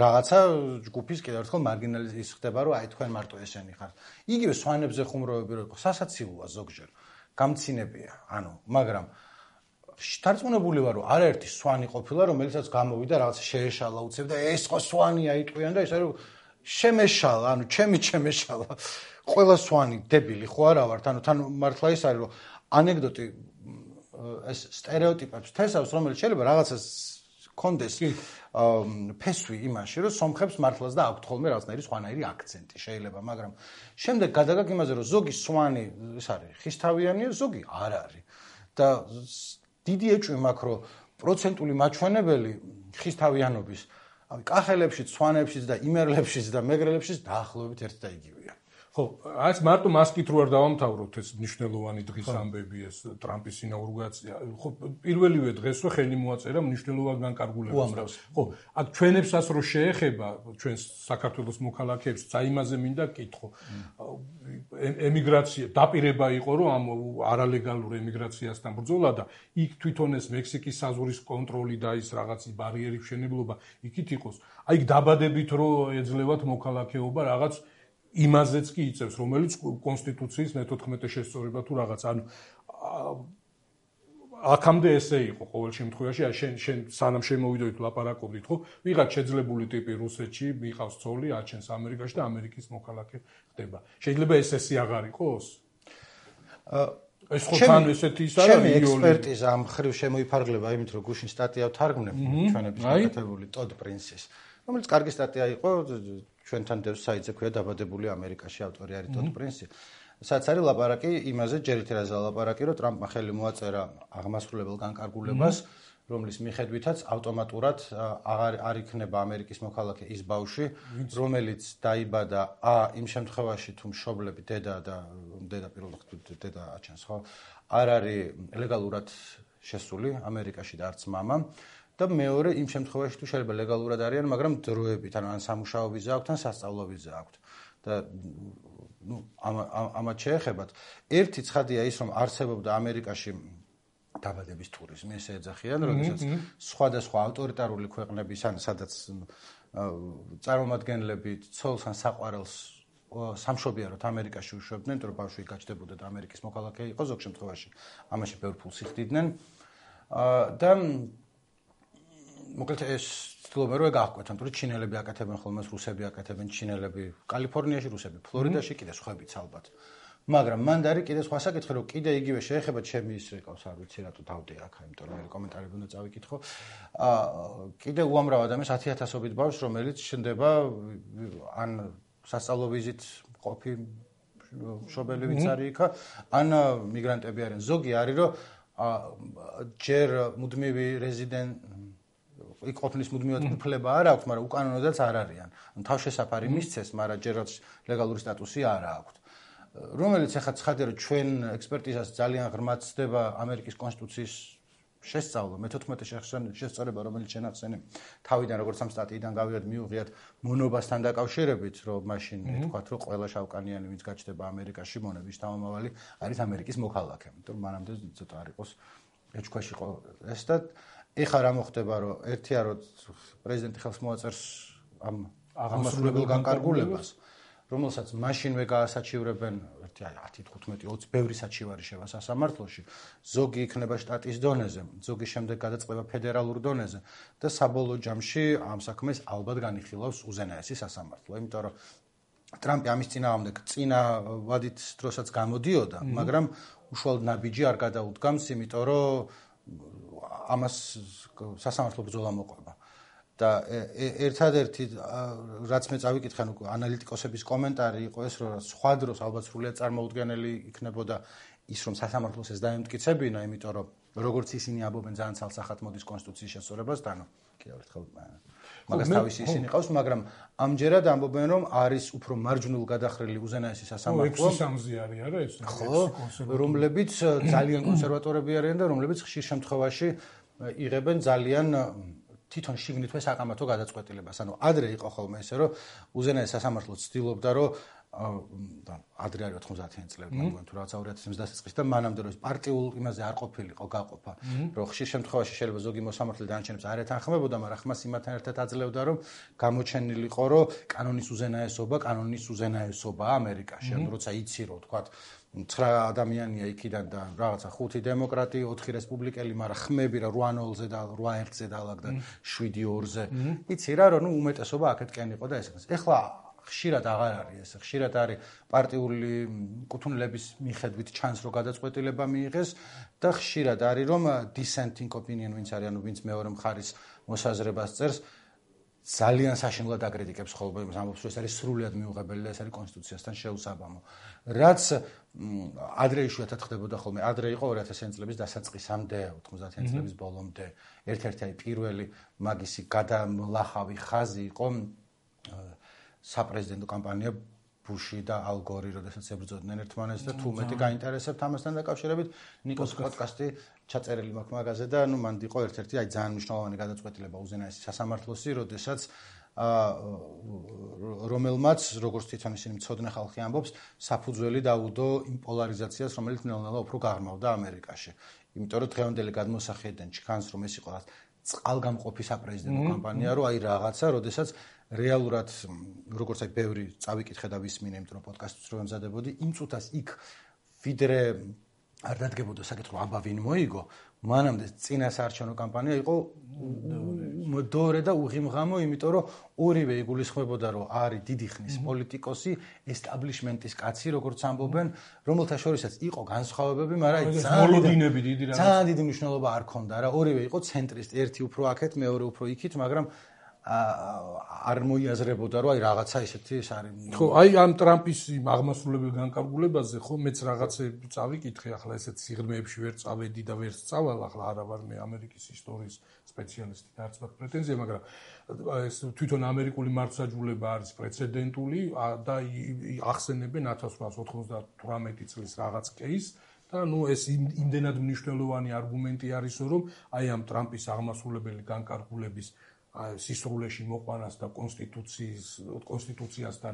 რაღაცა ჯგუფის კიდევ ერთხელ მარგინალიზაცია ხდება რომ აი თქვენ მარტო ესენი ხართ იგივე სვანებზე ხუმრობები რო იყო სასაცილოა ზოგჯერ გამცინებია ანუ მაგრამ შთარწმუნებული ვარ რომ არაერთი სვანი ყოფილა რომელიცაც გამოვიდა რაღაც შეეშალა უცებ და ეს ხო სვანია იტყვიან და ეს არის შემეშალა, ანუ ჩემი შემეშალა. ყველა სვანი დებილი ხო არა ვართ, ანუ თან მართლა ის არის, რომ ანეკდოტი ეს სტერეოტიპებს თესავს, რომელიც შეიძლება რაღაცას კონდეს ფესვი იმაში, რომ სომხებს მართლაც და აქვთ ხოლმე რაღაცნაირი სხვანაირი აქცენტი შეიძლება, მაგრამ შემდეგ გადაგაგ იმაზე, რომ ზოგი სვანი ის არის ხისთავიანია, ზოგი არ არის. და დიდი ეჭვი მაქვს, რომ პროცენტული მაჩვენებელი ხისთავიანობის კახელებშიც, სვანებშიც და იმერლებშიც და მეგრელებშიც დაახლოებით ერთ და იგივეა. ხო, აი მარტო მასკით რო არ დავამთავროთ ეს მნიშვნელოვანი დღის ამბები ეს ტრამპის ინაუგურაცია. ხო, პირველივე დღეს რო ხელი მოაწერა მნიშვნელოვან განკარგულებას. ხო, აქ ჩვენებსაც რო შეეხება, ჩვენს საქართველოს მოქალაქეებს, საიმაზე მინდა კითხო. ემიგრაცია დაპირება იყო, რომ ამ არალეგალურ ემიგრაციასთან ბრძოლა და იქ თვითონ ეს მექსიკის საზღვრის კონტროლი და ის რაღაცის ბარიერის მშენებლობა იქით იყოს. აი იქ დაბადებით რო ეძლევათ მოქალაქეობა რაღაც იმაზეც კი იწევს, რომელიც კონსტიტუციის მეთოთხმეტე შესწორება თუ რაღაც, ანუ აქამდე ესე იყო ყოველ შემთხვევაში, აი შენ შენ სანამ შემოვიდოით ლაპარაკობდით, ხო? ვიღაც შეძლებული ტიპი რუსეთში, მიყავს ცოლი, აჩენს ამერიკაში და ამერიკის მოქალაქე ხდება. შეიძლება ეს ესე აღარ იყოს? ეს ხო თან ესეთი ის არა, ჩემი ექსპერტიზა ამ ხრივ შემოიფარგლება იმით, რომ გუშინ სტატია ვთარგმნებ ჩვენების გაკეთებული ტოდ პრინსის, რომელიც კარგი სტატია იყო, ჩვენთან დევს საიტზე ქვია დაბადებული ამერიკაში, ავტორი არის ტოდ პრინსი. სადაც არის ლაპარაკი იმაზე, ჯერ ერთი რაზე ლაპარაკი, რომ ტრამპმა ხელი მოაწერა აღმასრულებელ განკარგულებას, რომლის მიხედვითაც ავტომატურად აღარ არ იქნება ამერიკის მოქალაქე ის ბავშვი, რომელიც დაიბადა ა იმ შემთხვევაში თუ მშობლები დედა და დედა პირველ რიგში დედა აჩენს, ხო? არ არის ლეგალურად შესული ამერიკაში და არც მამა. და მეორე იმ შემთხვევაში თუ შეიძლება ლეგალურად არიან, მაგრამ დროებით, ანუ ან სამუშაო ვიზა აქვთ, ან სასწავლო ვიზა აქვთ. და ნუ ამათ შეეხებათ. ერთი ცხადია ის, რომ არსებობდა ამერიკაში დაბადების ტურიზმი, ესე ეძახიან, როდესაც სხვადასხვა ავტორიტარული ქვეყნების, ან სადაც წარმომადგენლები ცოლს ან საყვარელს სამშობიაროდ ამერიკაში უშვებდნენ, რომ ბავშვი გაჩნდებოდა და ამერიკის მოქალაქე იყო, ზოგ შემთხვევაში ამაში ბევრ ფულს იხდიდნენ. და მოკლედ ეს ცდილობენ რომ გააკვეთონ, თუმცა ჩინელები აკეთებენ ხოლმე, რუსები აკეთებენ, ჩინელები კალიფორნიაში, რუსები ფლორიდაში, კიდე სხვაებიც ალბათ. მაგრამ მან და არის კიდე სხვა საკითხი, რომ კიდე იგივე შეეხება ჩემი ის რეკავს, არ ვიცი რატო დავდე აქ, იმიტომ რომ მე კომენტარები უნდა წავიკითხო. აა კიდე უამრავ ადამიანს ათი ათასობით ბავშვს, რომელიც შენდება ან სასწავლო ვიზით ყოფი მშობელი ვიც არის იქა, ან მიგრანტები არიან. ზოგი არის რომ ჯერ მუდმივი რეზიდენტ იქ ყოფნის მუდმივად უფლება არ აქვს, მაგრამ უკანონოდაც არ არიან. ანუ თავშესაფარი მისცეს, მაგრამ ჯერაც ლეგალური სტატუსი არ აქვს. რომელიც ახლა ცხადია, რომ ჩვენ ექსპერტიზას ძალიან ღრმად ცდება ამერიკის კონსტიტუციის შესწავლა, მეთოთხმეტე შესწორება, რომელიც შენახსენე თავიდან როგორც ამ სტატიიდან გავიგეთ, მიუღიათ მონობასთან დაკავშირებით, რომ მაშინ თქვათ, რომ ყველა შავკანიანი ვინც გაჩნდება ამერიკაში, მონების თავმომავალი არის ამერიკის მოქალაქე. იმიტომ მანამდე ცოტა არ იყოს ეჭქვაში ყო ეს და ეხლა რა მოხდება, რომ ერთია რომ პრეზიდენტი ხელს მოაწერს ამ აღმასრულებელ განკარგულებას, რომელსაც მაშინვე გაასაჩივრებენ ერთი ათი, თხუთმეტი, ოცი ბევრი საჩივარი შევა სასამართლოში, ზოგი იქნება შტატის დონეზე, ზოგი შემდეგ გადაწყდება ფედერალურ დონეზე და საბოლოო ჯამში ამ საქმეს ალბათ განიხილავს უზენაესი სასამართლო, იმიტომ რომ ტრამპი ამის წინააღმდეგ წინა ვადით დროსაც გამოდიოდა, მაგრამ უშუალოდ ნაბიჯი არ გადაუდგამს, იმიტომ რომ ამას სასამართლო ბრძოლა მოყვება. და ერთადერთი რაც მე წავიკითხე, ნუ ანალიტიკოსების კომენტარი იყო ეს, რომ სხვა დროს ალბათ სრულიად წარმოუდგენელი იქნებოდა ის, რომ სასამართლოს ეს დაემტკიცებინა, იმიტომ რომ როგორც ისინი ამბობენ, ძალიან ცალსახად მოდის კონსტიტუციის შესწორებასთან, კიდევ ერთხელ მაგას თავისი ისინი ყავს, მაგრამ ამჯერად ამბობენ, რომ არის უფრო მარჯვნულ გადახრილი უზენაესი სასამართლო. ექვსი სამზე არის არა ეს? ხო, რომლებიც ძალიან კონსერვატორები არიან და რომლებიც ხშირ შემთხვევაში იღებენ ძალიან თვითონ შიგნითვე საკამათო გადაწყვეტილებას. ანუ ადრე იყო ხოლმე ესე, რომ უზენაესი სასამართლო ცდილობდა, რომ ადრე არის ოთხმოცდაათიანი წლები, მაგალითად თუ რაღაც ორი ათი ოცდაათი წლის და მანამდე რომ პარტიულ იმაზე არ ყოფილიყო გაყოფა, რომ ხშირ შემთხვევაში შეიძლება ზოგი მოსამართლე დანარჩენებს არ ეთანხმებოდა, მაგრამ ხმას იმათთან ერთად აძლევდა, რომ გამოჩენილიყო, რომ კანონის უზენაესობა, კანონის უზენაესობა ამერიკაში, ანუ როცა იცი, რომ თქვათ ცხრა ადამიანია იქიდან და რაღაცა ხუთი დემოკრატი, ოთხი რესპუბლიკელი, მაგრამ ხმები რა რვა ნოლზე და რვა ერთზე დაალაგდა შვიდი ორზე. იცი რა, რომ ნუ უმეტესობა აქეთკენ იყო და ესეც. ეხლა ხშირად აღარ არის ეს. ხშირად არის პარტიული კუთვნილების მიხედვით ჩანს, რომ გადაწყვეტილება მიიღეს და ხშირად არის, რომ dissenting opinion ვინც არის, ანუ ვინც მეორე მხარის მოსაზრებას წერს, ძალიან საშინლად აკრიტიკებს ხოლმე იმას, ამბობს, რომ ეს არის სრულიად მიუღებელი და ეს არის კონსტიტუციასთან შეუსაბამო. რაც ადრე იშვიათად ხდებოდა ხოლმე, ადრე იყო ორი ათასიანი წლების დასაწყისამდე, ოთხმოცდაათიანი წლების ბოლომდე, ერთ-ერთი აი პირველი მაგისი გადამლახავი ხაზი იყო საპრეზიდენტო კამპანია ბუში და ალ გორი, როდესაც ებრძოდნენ ერთმანეთს და თუ მეტი გაინტერესებთ ამასთან დაკავშირებით, ნიკოს პოდკასტი ჩაწერილი მაქვს მაგაზე და ნუ მანდ იყო ერთ-ერთი აი ძალიან მნიშვნელოვანი გადაწყვეტილება უზენაესი სასამართლოსი, როდესაც რომელმაც, როგორც თვითონ ისინი მცოდნე ხალხი ამბობს, საფუძველი დაუდო იმ პოლარიზაციას, რომელიც ნელ-ნელა უფრო გაღრმავდა ამერიკაში. იმიტომ რომ დღევანდელი გადმოსახედიდან ჩქანს, რომ ეს იყო წყალგამყოფი საპრეზიდენტო კამპანია, რომ აი რაღაცა, როდესაც რეალურად, როგორც აი ბევრი წავიკითხე და ვისმინე, იმიტომ რომ პოდკასტს რო ემზადებოდი, იმ წუთას იქ ვიდრე არ დადგებოდა საკითხი, აბა ვინ მოიგო, მანამდე წინა საარჩევნო კამპანია იყო დორე და უღიმღამო, იმიტომ რომ ორივე იგულისხმებოდა, რომ არის დიდი ხნის პოლიტიკოსი, ესტაბლიშმენტის კაცი, როგორც ამბობენ, რომელთა შორისაც იყო განსხვავებები, მაგრამ ძალიან დიდი მნიშვნელობა არ ქონდა რა. ორივე იყო ცენტრისტი, ერთი უფრო აქეთ, მეორე უფრო იქით, მაგრამ არ მოიაზრებოდა, რომ აი რაღაცა ისეთი ეს არის. ხო, აი ამ ტრამპის აღმასრულებელ განკარგულებაზე ხო მეც რაღაცები წავიკითხე, ახლა ესეთ სიღრმეებში ვერ წავედი და ვერ სწავალ, ახლა არა ვარ მე ამერიკის ისტორიის სპეციალისტი და არც მაქვს პრეტენზია, მაგრამ ეს თვითონ ამერიკული მართლმსაჯულება არის პრეცედენტული და ახსენებენ ათას რვაას ოთხმოცდათვრამეტი წლის რაღაც кейს და ნუ ეს იმდენად მნიშვნელოვანი არგუმენტი არისო, რომ აი ამ ტრამპის აღმასრულებელი განკარგულების სისრულეში მოყვანას და კონსტიტუციის კონსტიტუციასთან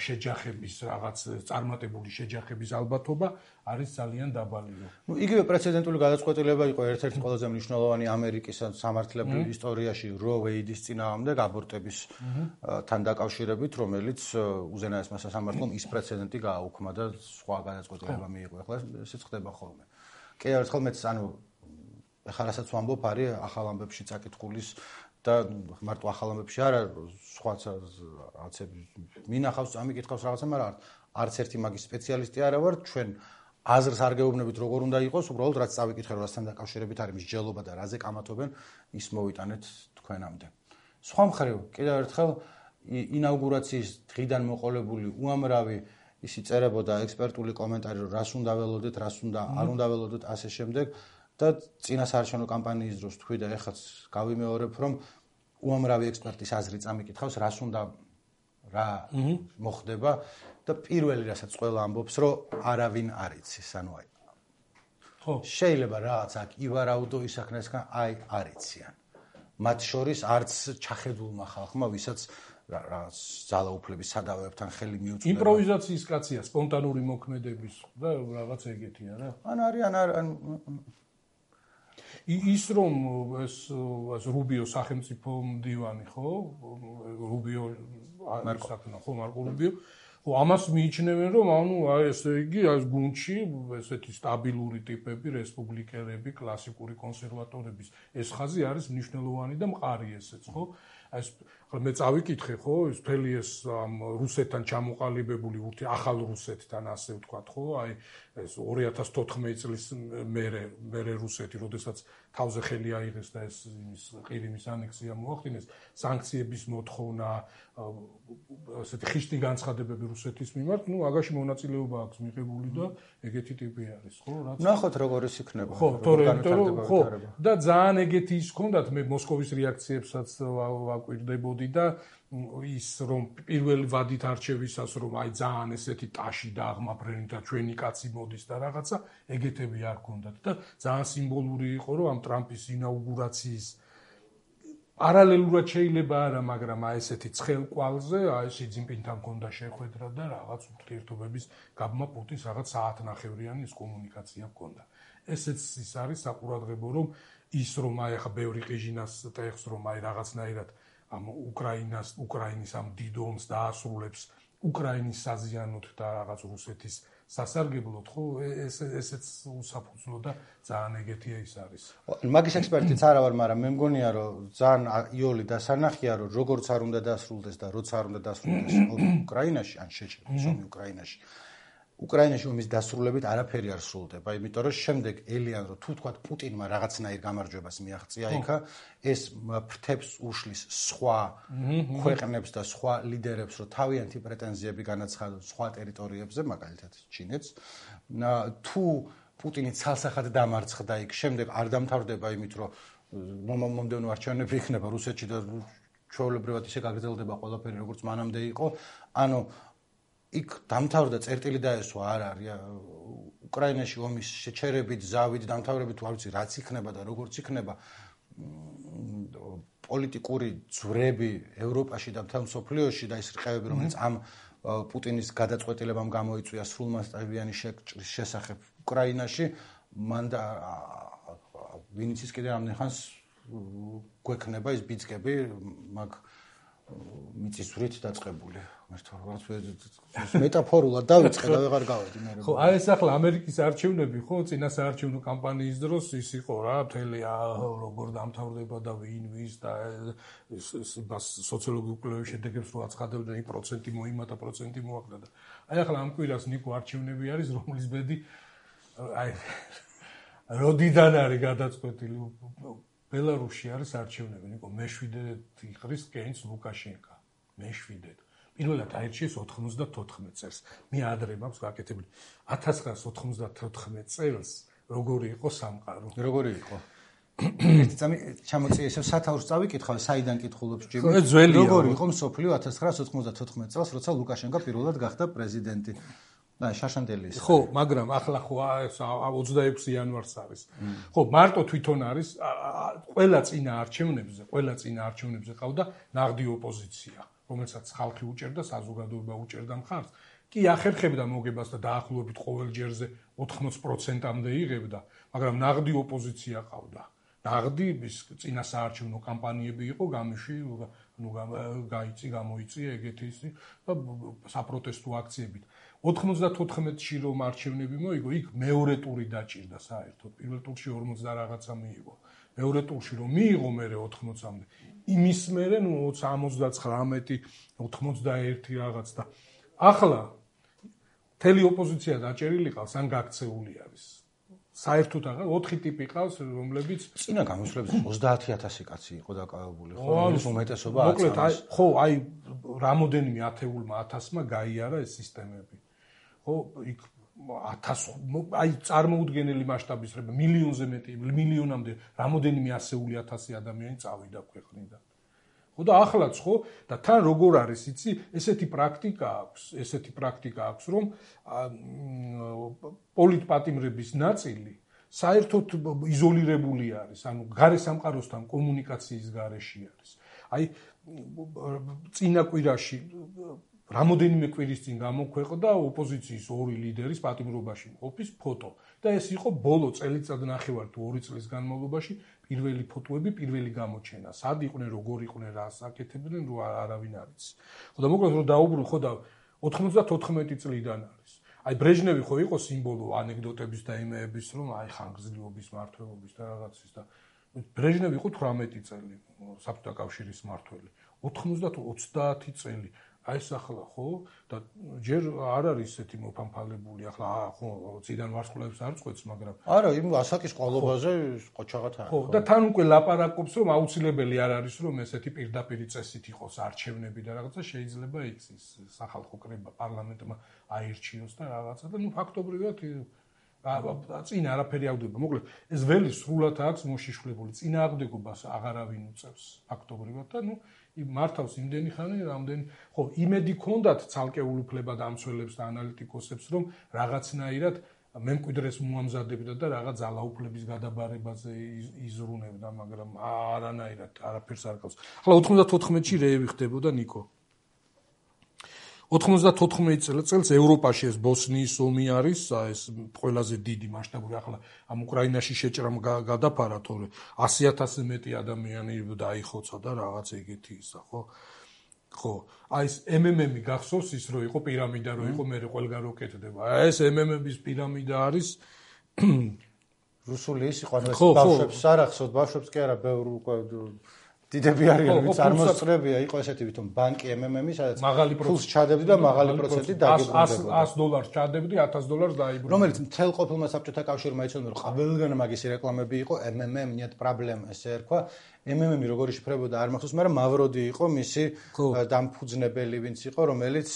შეჯახების რაღაც წარმატებული შეჯახების ალბათობა არის ძალიან დაბალი. ნუ იგივე პრეცედენტული გადაწყვეტილება იყო ერთ-ერთი ყველაზე მნიშვნელოვანი ამერიკის სამართლებრივ ისტორიაში რო ვეიდის წინააღმდეგ აბორტებისთან დაკავშირებით, რომელიც უზენაესმა სასამართლომ ის პრეცედენტი გააუქმა და სხვა გადაწყვეტილება მიიღო. ახლა ესეც ხდება ხოლმე. კი, ერთხელ მეც ანუ ახლა რასაც ვამბობ, არის ახალ ამბებში წაკითხulis და მარტო ახალ ამბებში არა, სხვაც რაღაცები მინახავს, ამიკითხავს რაღაცა, მაგრამ არც ერთი მაგის სპეციალისტი არა ვარ, ჩვენ აზრს არ გეუბნებით როგორ უნდა იყოს, უბრალოდ რაც წავიკითხე, რასთან დაკავშირებით არის მსჯელობა და რაზე კამათობენ, ის მოვიტანეთ თქვენამდე. სხვა მხრივ, კიდევ ერთხელ ინაუგურაციის დღიდან მოყოლებული უამრავი ისი წერებოდა ექსპერტული კომენტარი, რომ რას უნდა ველოდეთ, რას უნდა არ უნდა ველოდეთ, ასე შემდეგ. და წინა საარჩევნო კამპანიის დროს თქვი და ეხაც გავიმეორებ, რომ უამრავი ექსპერტის აზრი წამიკითხავს, რას უნდა რა მოხდება და პირველი რასაც ყველა ამბობს, რომ არავინ არ იცის, ანუ აი. ხო, შეიძლება რაღაც აქ ივარაუდო ისახნესგან აი არ იციან. მათ შორის არც ჩახედულმა ხალხმა, ვისაც რაღაც ძალაუფლების სადავეებთან ხელი მიუწვდება. იმპროვიზაციის კაცია, სპონტანური მოქმედების და რაღაც ეგეთია რა. ან არის ან არ ის რომ ეს რუბიო სახელმწიფო მდივანი ხო? რუბიო საკნა ხო მარკო რუბიო. ხო, ამას მიიჩნევენ რომ ანუ აი ესე იგი ეს გუნდში ესეთი სტაბილური ტიპები, რესპუბლიკელები, კლასიკური კონსერვატორების ეს ხაზი არის მნიშვნელოვანი და მყარი ესეც ხო? ეს მე წავიკითხე ხო, ეს მთელი ეს რუსეთთან ჩამოყალიბებული ურთი ახალ რუსეთთან ასე ვთქვათ ხო, აი ეს ორი ათას თოთხმეტი წლის მერე მერე რუსეთი, როდესაც თავზე ხელი აიღეს და ეს იმის ყირიმის ანექსია მოახდინეს, სანქციების მოთხოვნა, ასეთი ხიშტი განცხადებები რუსეთის მიმართ, ну, აგაში მონაწილეობა აქვს მიღებული და ეგეთი ტიპი არის, ხო, რაც ნახოთ როგორ ის იქნება. ხო, თორემ ხო, და ძალიან ეგეთი ის ჰქონდათ, მე მოსკოვის რეაქციებსაც ვაკვირდებოდი და ის რომ პირველი ვადით არჩევისას რომ აი ძალიან ესეთი ტაში და აღმაფრენი და ჩვენი კაცი მოდის და რაღაცა ეგეთები არ ჰქონდათ და ძალიან სიმბოლური იყო რომ ამ ტრამპის ინაუგურაციის პარალელურად შეიძლება არა, მაგრამ აი ესეთი ცხელ კვალზე აი ში ძინპინთან ჰქონდა შეხვედრა და რაღაც ურთიერთობების გაბმა პუტინს რაღაც საათნახევრიანი ის კომუნიკაცია ჰქონდა. ესეც ის არის საყურადღებო რომ ის რომ აი ახლა ბევრი ყიჟინას ტეხს რომ აი რაღაცნაირად ამ უკრაინას უკრაინის ამ დიდ ომს დაასრულებს უკრაინის საზიანოთ და რაღაც რუსეთის სასარგებლოდ, ხო, ეს ესეც უსაფუძვლო და ძალიან ეგეთია ის არის. მაგის ექსპერტიც არა ვარ, მაგრამ მე მგონია, რომ ძალიან იოლი დასანახია, რომ როგორც არ უნდა დასრულდეს და როცა არ უნდა დასრულდეს უკრაინაში, ან შეჭრილ ომი უკრაინაში. უკრაინაში ომის დასრულებით არაფერი არ სრულდება, იმიტომ რომ შემდეგ ელიან რომ თუ თქვა პუტინმა რაღაცნაირ გამარჯვებას მიაღწია იქა, ეს ფრთებს უშლის სხვა ქვეყნებს და სხვა ლიდერებს, რომ თავიანთი პრეტენზიები განაცხადოს სხვა ტერიტორიებზე, მაგალითად ჩინეთს. თუ პუტინი ცალსახად დამარცხდა იქ, შემდეგ არ დამთავრდება იმით, რომ მომდევნო არჩევნები იქნება რუსეთში და ჩვეულებრივად ისე გაგრძელდება ყველაფერი, როგორც მანამდე იყო, ანუ იქ დამთავრდა წერტილი დაესვა არ არის უკრაინაში ომის შეჩერებით, ზავით, დამთავრებით, არ ვიცი რაც იქნება და როგორც იქნება პოლიტიკური ძვრები ევროპაში და მთელ მსოფლიოში და ის რყევები, რომელიც ამ პუტინის გადაწყვეტილებამ გამოიწვია სრულმასშტაბიანი შეჭრის შესახებ უკრაინაში, მან და ვინც ის კიდე ამდენ ხანს გვექნება ის ბიძგები მაგ მიწისძვრით დაწყებული. მეტაფორულად დავიწყე და ვეღარ გავედი მე. ხო, აი ეს ახლა ამერიკის არჩევნები, ხო, წინა საარჩევნო კამპანიის დროს ის იყო რა, მთელი როგორ დამთავრდება და ვინ ვის და სოციოლოგიურ კვლევების შედეგებს რო აცხადებდნენ, იმ პროცენტი მოიმატა, პროცენტი მოაკლდა და აი ახლა ამ კვირას ნიკო არჩევნები არის, რომლის ბედი აი როდიდან არის გადაწყვეტილი ბელარუსში არის არჩევნები, ნიკო მეშვიდე იყრის კეინს ლუკაშენკა. მეშვიდე. პირველად აირჩიეს ოთხმოცდათოთხმეტ წელს. მე ადრე მაქვს გაკეთებული. ათას ცხრაასი ოთხმოცდათოთხმეტ წელს როგორი იყო სამყარო? როგორი იყო? ერთი წამი ჩამოწია ისევ სათაურს წავიკითხავ, საიდან კითხულობს ჯიმი? როგორი იყო მსოფლიო ათას ცხრაასი ოთხმოცდათოთხმეტ წელს, როცა ლუკაშენკა პირველად გახდა პრეზიდენტი? და შაშანდელი ის. ხო, მაგრამ ახლა ხო ოცდაექვსი იანვარს არის. ხო, მარტო თვითონ არის ყველა წინა არჩევნებზე, ყველა წინა არჩევნებზე ყავდა ნაღდი ოპოზიცია, რომელსაც ხალხი უჭერდა, საზოგადოება უჭერდა მხარს. კი ახერხებდა მოგებას და დაახლოებით ყოველ ჯერზე ოთხმოცი პროცენტამდე იღებდა, მაგრამ ნაღდი ოპოზიცია ყავდა. ნაღდი ის წინა საარჩევნო კამპანიები იყო გამიში, ნუ გაიწი, გამოიწია ეგეთი ისი და საპროტესტო აქციებით. ოთხმოცდათოთხმეტში რომ არჩევნები მოიგო, იქ მეორე ტური დაჭირდა საერთოდ. პირველ ტურში ორმოცი და რაღაცა მიიღო. მეორე ტურში რომ მიიღო მერე ოთხმოცამდე. იმის მერე ნუ ოცდაათი, ოცდაერთი რაღაც და ახლა მთელი ოპოზიცია დაჭერილი ყავს, ან გაქცეული არის. საერთოდ აღარ ოთხი ტიპი ყავს, რომლებიც წინა გამოსვლებზე ოცდაათი ათასი კაცი იყო დაკავებული, ხო? ის უმეტესობა აწამს. მოკლედ, აი, ხო, აი რამოდენიმე ათეულმა ათასმა გაიარა ეს სისტემები. ხო, იქ ათას აი წარმოუდგენელი მასშტაბის რება მილიონზე მეტი, მილიონამდე რამოდენიმე ასეული ათასი ადამიანი წავიდა ქვეყნიდან. ხო და ახლაც ხო და თან როგორ არის, იცი, ესეთი პრაქტიკა აქვს, ესეთი პრაქტიკა აქვს, რომ პოლიტპატიმრების ნაწილი საერთოდ იზოლირებული არის, ანუ გარე სამყაროსთან კომუნიკაციის გარეშე არის. აი წინა კვირაში რამოდენიმე კვირის წინ გამოქვეყნდა ოპოზიციის ორი ლიდერის პატიმრობაში ყოფის ფოტო და ეს იყო ბოლო წელიწად ნახევარ თუ ორი წლის განმავლობაში პირველი ფოტოები, პირველი გამოჩენა. სად იყვნენ, როგორ იყვნენ, რას აკეთებდნენ, რო არავინ არ იცის. ხო და მოკლედ რომ დაუბრუნო, ხო და ოთხმოცდათოთხმეტი წლიდან არის. აი ბრეჟნევი ხო იყო სიმბოლო ანეკდოტების და იმეების, რომ აი ხანგრძლივობის, მართლობის და რაღაცის და ბრეჟნევი იყო თვრამეტი წელი საბჭოთა კავშირის მმართველი. ოცდაათი წელი აი ეს ახლა ხო და ჯერ არ არის ესეთი მოფამფალებული ახლა ხო წიდან ვარსკვლავებს არ წყვეტს მაგრამ არა იმ ასაკის ყოლობაზე ყოჩაღად არის ხო და თან უკვე ლაპარაკობს რომ აუცილებელი არ არის რომ ესეთი პირდაპირი წესით იყოს არჩევნები და რაღაცა შეიძლება იქცეს სახალხო კრება პარლამენტმა აირჩიოს და რაღაცა და ნუ ფაქტობრივად წინ არაფერი აღდება მოკლედ ეს ველი სრულად აქვს მოშიშვლებული წინააღმდეგობას აღარავინ უწევს ფაქტობრივად და ნუ მართავს იმდენი ხანი, რამდენი ხო იმედი ქონდათ ცალკეულ უფლებად ამცველებს და ანალიტიკოსებს, რომ რაღაცნაირად მემკვიდრეს მოამზადებდა და რაღაც ძალაუფლების გადაბარებაზე იზრუნებდა, მაგრამ არანაირად არაფერს არ ყავს. ახლა ოცდაათი რეევი ხდებოდა ნიკო. ოცდაათი წელს ევროპაში ეს ბოსნიის ომი არის, ეს ყველაზე დიდი მასშტაბური ახლა ამ უკრაინაში შეჭრამ გადაფარა, თორე ასი ათასზე მეტი ადამიანი დაიხოცა და რაღაც ეგეთი ისა, ხო? ხო, აი ეს ემ ემ ემი გახსოვს ის რო იყო პირამიდა რო იყო მე ყველგან რო კეთდება. აი ეს ემ ემ ემის პირამიდა არის რუსული ის იყო, ანუ ეს ბავშვებს არ ახსოვთ, ბავშვებს კი არა, ბევრ უკვე დიდები არიან, ვინც წარმოსწრებია, იყო ესეთი ვითომ ბანკი ემ ემ ემი, სადაც მაღალი ფულს ჩადებდი და მაღალი პროცენტით დაგიბრუნდებოდა. ას დოლარს ჩადებდი, ათას დოლარს დაიბრუნებდი. რომელიც მთელ ყოფილმა საბჭოთა კავშირმა იცოდა, რომ ყველგან მაგისი რეკლამები იყო, ემ ემ ემ нет проблем, ესე ერქვა. ემ ემ ემი როგორი შიფრებოდა არ მახსოვს, მაგრამ მავროდი იყო მისი დამფუძნებელი, ვინც იყო, რომელიც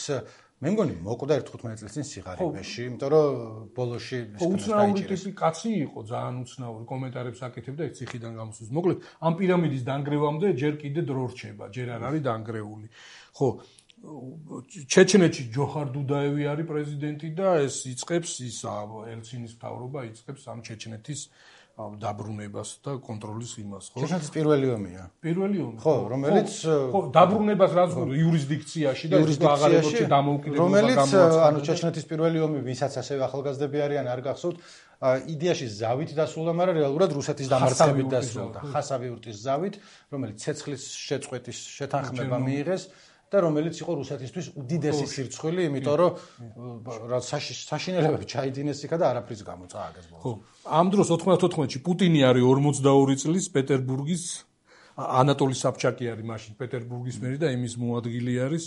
მე მგონი მოკვდა თხუთმეტ წელს წინ სიღარიბეში, იმიტომ რომ ბოლოში უცნაური ტიპი კაცი იყო, ძალიან უცნაური, კომენტარებს აკეთებდა ეს ციხიდან გამოსვლის. მოკლედ, ამ პირამიდის დანგრევამდე ჯერ კიდე დრო რჩება, ჯერ არ არის დანგრეული. ხო, ჩეჩნეთში ჯოხარ დუდაევი არის პრეზიდენტი და ეს იწყებს ის ელცინის მთავრობა იწყებს ამ ჩეჩნეთის დაბრუნებას და კონტროლის იმას, ხო? ჩეჩნეთის პირველი ომია. პირველი ომი. ხო, რომელიც ხო, დაბრუნებას რაც იურისდიქციაში და აღარებაში დამოუკიდებლობა რომელიც ანუ ჩეჩნეთის პირველი ომი, ვისაც ასევე ახალგაზრდები არიან, არ გახსოვთ, იდეაში ზავით დასრულდა, მაგრამ რეალურად რუსეთის დამარცხებით დასრულდა. ხასავიურტის ზავით, რომელიც ცეცხლის შეწყვეტის შეთანხმება მიიღეს. და რომელიც იყო რუსეთისთვის უდიდესი სირცხვილი, იმიტომ რომ რა საშინელებები ჩაიდინეს იქა და არაფრის გამო წააგეს ბოლოს. ხო. ამ დროს ოთხმოცდათოთხმეტში პუტინი არის ორმოცდაორი წლის პეტერბურგის ანატოლი საბჩაკი არის მაშინ პეტერბურგის მერი და იმის მოადგილი არის.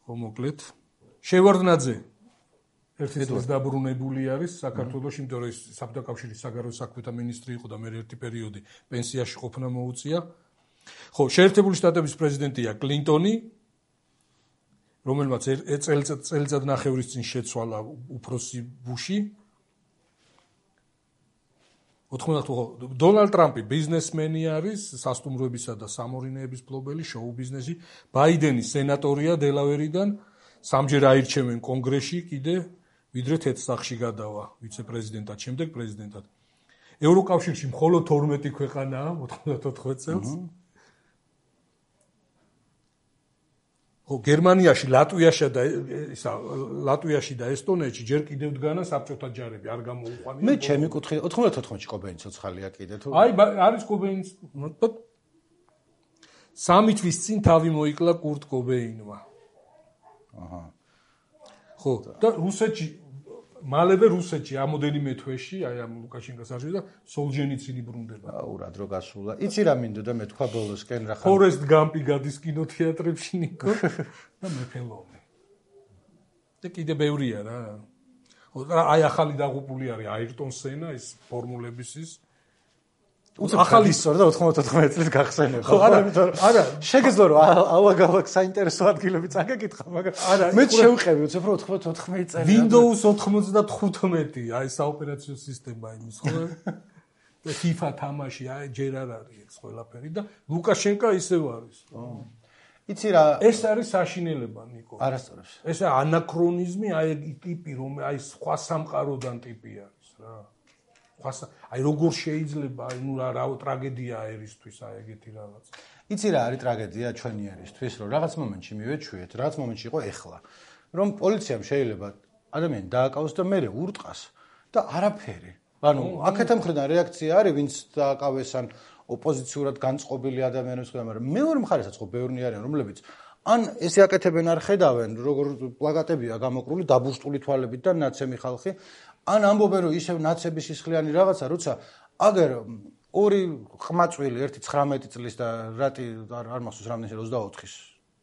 ხო, მოკლედ. შევარდნაძე ერთი წლის დაბრუნებული არის საქართველოში, იმიტომ რომ ის საბჭოთა კავშირის საგარეო საქმეთა მინისტრი იყო და მე ერთი პერიოდი პენსიაში ყოფნა მოუწია. ხო, შეერთებული შტატების პრეზიდენტია კლინტონი, რომელმაც წელიწად ნახევრის წინ შეცვალა უფროსი ბუში. ოთხმოცდათხმეტი დონალდ ტრამპი ბიზნესმენი არის, სასტუმროებისა და სამორინეების მფლობელი, შოუ ბიზნესი. ბაიდენი სენატორია დელავერიდან, სამჯერ აირჩევენ კონგრესში კიდე, ვიდრე თეთრსახში გადავა ვიცე-პრეზიდენტად, შემდეგ პრეზიდენტად. ევროკავშირში მხოლოდ თორმეტი ქვეყანაა ოთხმოცდათოთხმეტ წელს. ხო, გერმანიაში, ლატვიაში და ისა ლატვიაში და ესტონეთში ჯერ კიდევ დგანა საბჭოთა ჯარები, არ გამოუყვანია. მე ჩემი კუთხე ოთხმოცდათოთხმეტში კობეინი ცოცხალია კიდე თუ აი არის კობეინი სამი თვის წინ თავი მოიკლა კურტ კობეინმა. აჰა. ხო, და რუსეთში მალევე რუსეთში ამოდენიმე თვეში, აი ამ ლუკაშენკოს არჩევდა და სოლჟენიცინი ბრუნდება. აუ რა დრო გასულა. იცი რა მინდოდა მე თქვა ბოლოსკენ რა ხარ. ფორესტ გამპი გადის კინოთეატრებში ნიკო და მეფელოვი. და კიდე ბევრია რა. აი ახალი დაღუპული არის აირტონ სენა, ის ფორმულების ის ახალი სწორდა ოთხმოცდათოთხმეტ წლის გახსენება. ხო, არა, არა, შეგეძლო რომ ალაგ-ალაგ საინტერესო ადგილები წაგეკითხა, მაგრამ არა, მე შევყევი უცებ რომ ოთხმოცდათოთხმეტ წელი. Windows ოცდათხუთმეტი, აი საოპერაციო სისტემა იმის, ხო? და FIFA თამაში, აი ჯერ არ არის ეს ყველაფერი და ლუკაშენკა ისევ არის. იცი რა, ეს არის საშინელება, ნიკო. არასწორებს. ეს ანაქრონიზმი, აი ტიპი რომ აი სხვა სამყაროდან ტიპი არის რა. აი როგორ შეიძლება აი ნუ რა რა ტრაგედიაა ერისთვის აი ეგეთი რაღაც. იცი რა არის ტრაგედია ჩვენი ერისთვის, რომ რაღაც მომენტში მივეჩვიეთ, რაღაც მომენტში იყო ეხლა, რომ პოლიციამ შეიძლება ადამიანი დააკავოს და მერე ურტყას და არაფერი. ანუ აქეთა მხრიდან რეაქცია არის, ვინც დააკავეს ან ოპოზიციურად განწყობილი ადამიანებს ხდება, მაგრამ მეორე მხარესაც ხო ბევრნი არიან, რომლებიც ან ესე აკეთებენ არ ხედავენ, როგორ პლაკატებია გამოკრული დაბუშტული თვალებით და ნაცემი ხალხი, ან ამბობენ რომ ისევ ნაცების სისხლიანი რაღაცა, როცა აგერ ორი ხმაწვილი, ერთი ცხრამეტი წლის და რატი არ მახსოვს რამდენი ოცდაოთხის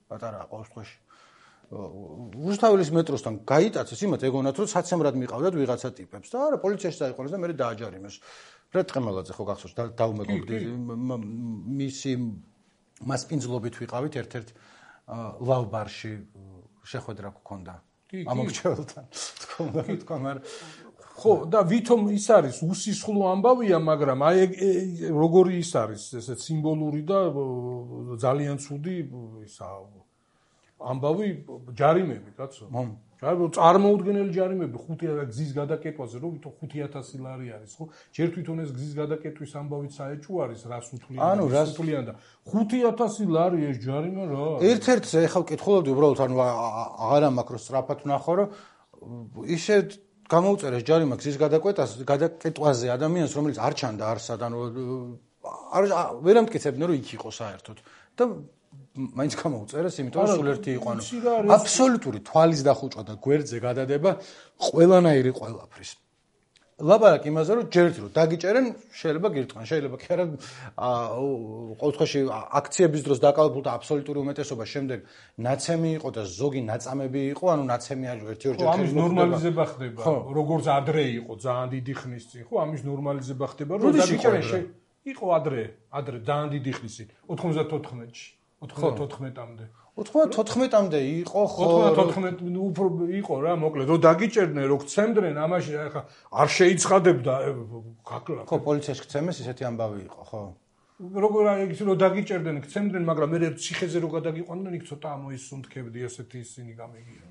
პატარა ყავს თქვაში. რუსთაველის მეტროსთან გაიტაცეს, იმათ ეგონათ რომ საცემრად მიყავდათ ვიღაცა ტიპებს და არა პოლიციაში დაიყვანეს და მე დააჯარიმეს. ფრედ ყემალაძე ხო გახსოვს დაუმეგობრდი მისი მასპინძლობით ვიყავით ერთ-ერთ ლავბარში შეხვედრა გქონდა. ამორჩეულთან თქმა უნდა თქვა, მაგრამ ხო და ვითომ ის არის უსისხლო ამბავია, მაგრამ აი როგორი ის არის ესეც სიმბოლური და ძალიან ცუდი ისა ამბავი ჯარიმები, კაცო. ჯარიმები წარმოუდგენელი ჯარიმები ხუთი გზის გადაკეტვაზე, რომ ვითომ ხუთი ათასი ლარი არის, ხო? ჯერ თვითონ ეს გზის გადაკეტვის ამბავით საეჭვო არის, რას უთვლიან? ანუ რას უთვლიან და ხუთი ათასი ლარი ეს ჯარიმა რა? ერთ-ერთზე ეხლა ვკითხულობდი უბრალოდ, ანუ აღარა მაქრო სწრაფად ვნახო, რომ ისე გამოუწერეს ჯარიმა გზის გადაკეტვაზე, გადაკეტვაზე ადამიანს, რომელიც არ ჩანდა არსად, ანუ არ ვერ ამტკიცებდნენ, რომ იქ იყო საერთოდ. და მაინც გამოუწერეს, იმიტომ რომ სულ ერთი იყო, ანუ აბსოლუტური თვალის დახუჭვა და გვერდზე გადადება ყველანაირი ყველაფრის. ლაპარაკი იმაზე, რომ ჯერ ერთი რომ დაგიჭერენ, შეიძლება გირტყან, შეიძლება კი არა ყოველ შემთხვევაში აქციების დროს დაკავებულ და აბსოლუტური უმეტესობა შემდეგ ნაცემი იყო და ზოგი ნაწამები იყო, ანუ ნაცემი არ ერთი-ორჯერ ხო, ამის ნორმალიზება ხდება, როგორც ადრე იყო ძალიან დიდი ხნის წინ, ხო, ამის ნორმალიზება ხდება, რომ დაგიჭერენ იყო ადრე, ადრე ძალიან დიდი ხნის წინ, ოთხმოცდათოთხმეტში, ოთხმოცდათოთხმეტამდე. ოთხმოცდათოთხმეტამდე იყო, ხო, ოთხმოცდათოთხმეტ უფრო იყო რა, მოკლედ, რომ დაგიჭერდნენ, რომ გცემდნენ, ამაში ახლა არ შეიცხადებდა გაკლა. ხო, პოლიციაში გცემეს, ისეთი ამბავი იყო, ხო. როგორ არის რომ დაგიჭერდნენ, გცემდნენ, მაგრამ მე ციხეზე რო გადაგიყვანდნენ, იქ ცოტა ამოისუნთქებდი ესეთი ისინი გამიგია.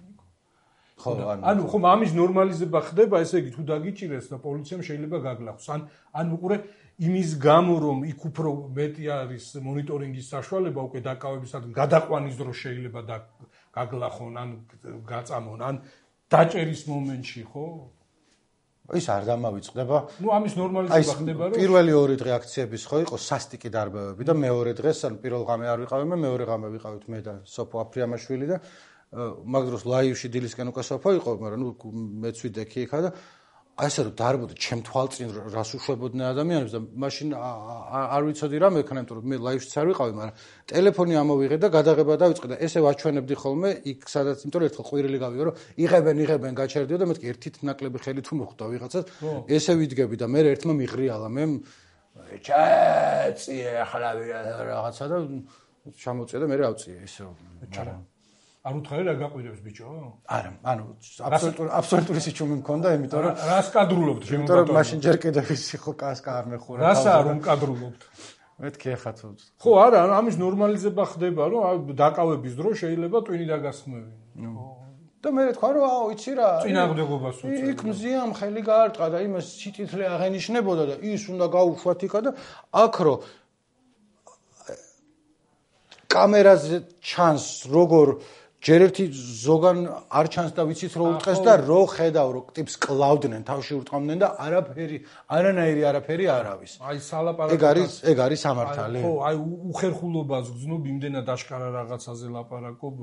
ხო, ანუ ხომ ამის ნორმალიზება ხდება, ესე იგი თუ დაგიჭირეს და პოლიციამ შეიძლება გაგლახოს. ან ან უყურე იმის გამო რომ იქ უფრო მეტი არის მონიტორინგის საშუალება უკვე დაკავებისადმი გადაყვანის დროს შეიძლება და გაგლახონ ან გაწამონ ან დაჭერის მომენტში ხო ის არ დამავიწყდება ნუ ამის ნორმალიზება ხდება რომ პირველი ორი დღე აქციების ხო იყო სასტიკი დარბევები და მეორე დღეს ან პირველ ღამე არ ვიყავი მე მეორე ღამე ვიყავით მე და სოფო აფრიამაშვილი და მაგ დროს ლაივში დილისკენ უკვე სოფო იყო მაგრამ ნუ მეც ვიდექი იქა და აი ესე რომ დარბოდა ჩემ თვალწინ რას უშვებოდნენ ადამიანებს და მაშინ არ ვიცოდი რა მექნა იმიტომ რომ მე ლაივშიც არ ვიყავი მაგრამ ტელეფონი ამოვიღე და გადაღება დავიწყე და ესე ვაჩვენებდი ხოლმე იქ სადაც იმიტომ რომ ერთხელ ყვირილი გავიგო რომ იღებენ იღებენ გაჩერდიო და მეთქი ერთით ნაკლები ხელი თუ მოხვდა ვიღაცას ესე ვიდგები და მე ერთმა მიღრიალა მე ჩაწიე ახლა რაღაცა და ჩამოწია და მე ავწიე ისე ჩარა არ უთხარი რა გაყვირებს ბიჭო? არა, ანუ აბსოლუტური აბსოლუტური სიჩუმე მქონდა, იმიტომ რომ რას კადრულობთ შემო ბატონო? იმიტომ რომ მაშინ ჯერ კიდევ ისი ხო კასკა არ მეხურა. რასა რომ კადრულობთ? მეთქი ახლა თუ. ხო, არა, ამის ნორმალიზება ხდება, რომ დაკავების დროს შეიძლება ტვინი დაგასხმევინო. და მე თქვა რომ აუ იცი რა წინააღმდეგობას უწევ. იქ მზიამ ხელი გაარტყა და იმას სიტითლე აღენიშნებოდა და ის უნდა გაუშვათ იქა და აქ რო კამერაზე ჩანს როგორ ჯერ ერთი ზოგან არ ჩანს და ვიცით რომ უტყეს და რო ხედავ რომ ტიპს კლავდნენ თავში ურტყამდნენ და არაფერი არანაირი არაფერი არ არის. აი სალაპარაკო ეგ არის ეგ არის სამართალი. ხო, აი უხერხულობას გძნობ იმდენად აშკარა რაღაცაზე ლაპარაკობ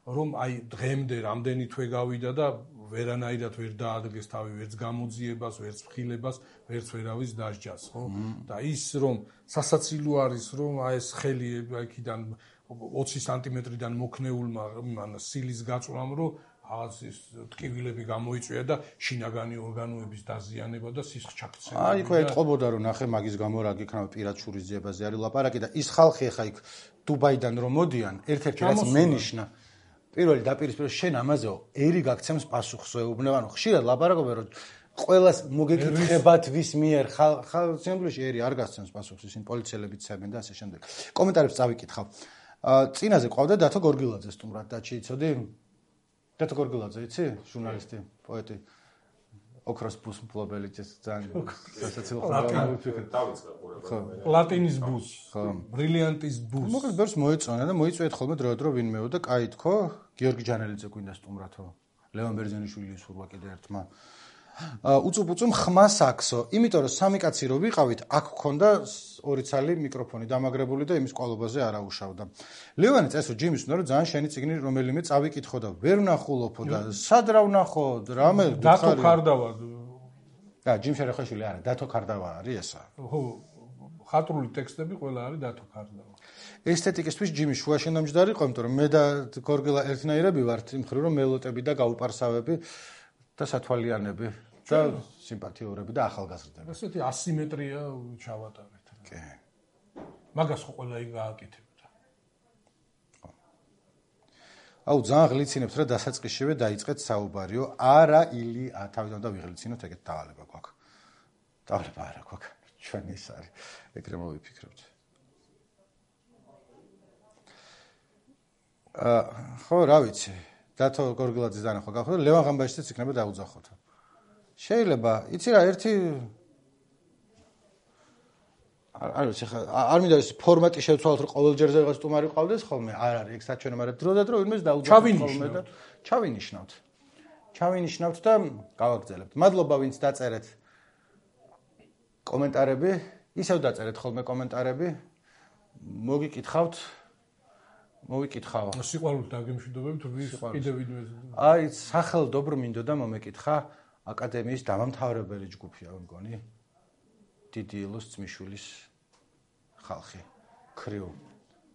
რომ აი დღემდე რამდენი თვე გავიდა და ვერანაირად ვერ დაადგეს თავი ვერც გამოძიებას, ვერც ფხილებას, ვერც ვერავის დასჯას, ხო? და ის რომ სასაცილო არის რომ აი ეს ხელი აქედან ოცი სანტიმეტრიდან მოქნეულმა მან სილის გაწვამ რომ რაღაც ის ტკივილები გამოიწვია და შინაგანი ორგანოების დაზიანება და სისხლ ჩაქცევა. აი ხო ეთყობოდა რომ ნახე მაგის გამო რა გიქნება პირად შურიზიებაზე არის ლაპარაკი და ის ხალხი ახლა იქ დუბაიდან რომ მოდიან ერთ-ერთი რაც მენიშნა პირველი დაპირისპირება შენ ამაზეო ერი გაქცემს პასუხს ეუბნება ანუ ხშირად ლაპარაკობენ რომ ყველას მოგეკითხებათ ვის მიერ ხალხში ერი არ გასცემს პასუხს ისინი პოლიციელები ცემენ და ასე შემდეგ. კომენტარებს წავიკითხავ. წინაზე ყავდა დათო გორგილაძე სტუმრად დაჩი იცოდი? დათო გორგილაძე იცი? ჟურნალისტი, პოეტი. ოქროს ბუს მფლობელი ძალიან სასაცილო ხდება. დავიწყე ყურება. პლატინის ბუს. ხო. ბრილიანტის ბუს. მოკლედ ბერს მოეწონა და მოიწვიეთ ხოლმე დროდადრო ვინმეო და კაი თქო, გიორგი ჯანელიძე გვინდა სტუმრათო. ლევან ბერძენიშვილის სურვა კიდე ერთმა. უწუპუწუმ ხმას აქსო, იმიტომ რომ სამი კაცი რო ვიყავით, აქ გქონდა ორი ცალი მიკროფონი დამაგრებული და იმის ყვალობაზე არ აუშავდა. ლევანი წესო ჯიმის უნდა რომ ძალიან შენი წიგნი რომელიმე წავიკითხო და ვერ ვნახულობო და სად რა ვნახო, რამე დათო ქარდავა. და ჯიმ შერეხაშვილი არა, დათო ქარდავა არის ესა. ხო, ხატრული ტექსტები ყველა არის დათო ქარდავა. ესთეტიკისთვის ჯიმი შუაში ნამჯდარი იყო, იმიტომ რომ მე და გორგილა ერთნაირები ვართ, იმ მხრივ რომ მელოტები და გაუპარსავები და სათვალიანები და სიმპათიურები და ახალგაზრდები. ესეთი ასიმეტრია ჩავატარეთ. კი. მაგას ხო ყველა იქ გააკეთებდა. აუ ძალიან ღლიცინებთ რა დასაწყისშივე დაიწყეთ საუბარიო. არა ილი თავიდან და ვიღლიცინოთ ეგეთ დავალება გვაქვს. დავალება არა გვაქვს. ჩვენ ის არის. ეგრე მოვიფიქრებთ. აა ხო რა ვიცი. დათო გორგილაძის დანახვა გახდა ლევან ღამბაშიძეც იქნება დაუძახოთ. შეიძლება, იცი რა, ერთი არ ვიცი ხა არ მინდა ეს ფორმატი შევცვალოთ რომ ყოველ ჯერზე რაღაც სტუმარი ყავდეს ხოლმე, არ არის, ეგ საჩვენო, მაგრამ დროდადრო ვინმეს დაუძახოთ ხოლმე და ჩავინიშნავთ. ჩავინიშნავთ და გავაგრძელებთ. მადლობა ვინც დაწერეთ კომენტარები, ისევ დაწერეთ ხოლმე კომენტარები. მოგიკითხავთ მოვიკითხავ. სიყვარულით დაგემშვიდობებით, ვის კიდევ ვინმე. აი, სახელმდობრო მინდოდა მომეკითხა აკადემიის დამამთავრებელი ჯგუფია, მგონი. დიდი ილოს ძმიშვილის ხალხი. ქრიუ.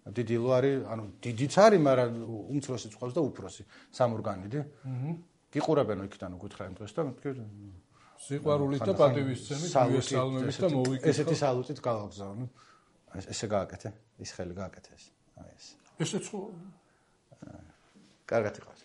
დიდი ილო არის, ანუ დიდიც არის, მაგრამ უმცროსიც ყავს და უფროსი, სამორგანიდი. აჰა. გიყურებენო იქიდან უკითხა იმ დღეს და მეთქე სიყვარულით და პატივისცემით მივესალმებით და მოვიკითხავ. ესეთი სალუტით გავაგზავნე. ესე გააკეთე, ის ხელი გააკეთე ეს. აი ეს. ესეც ხო? კარგად იყავს.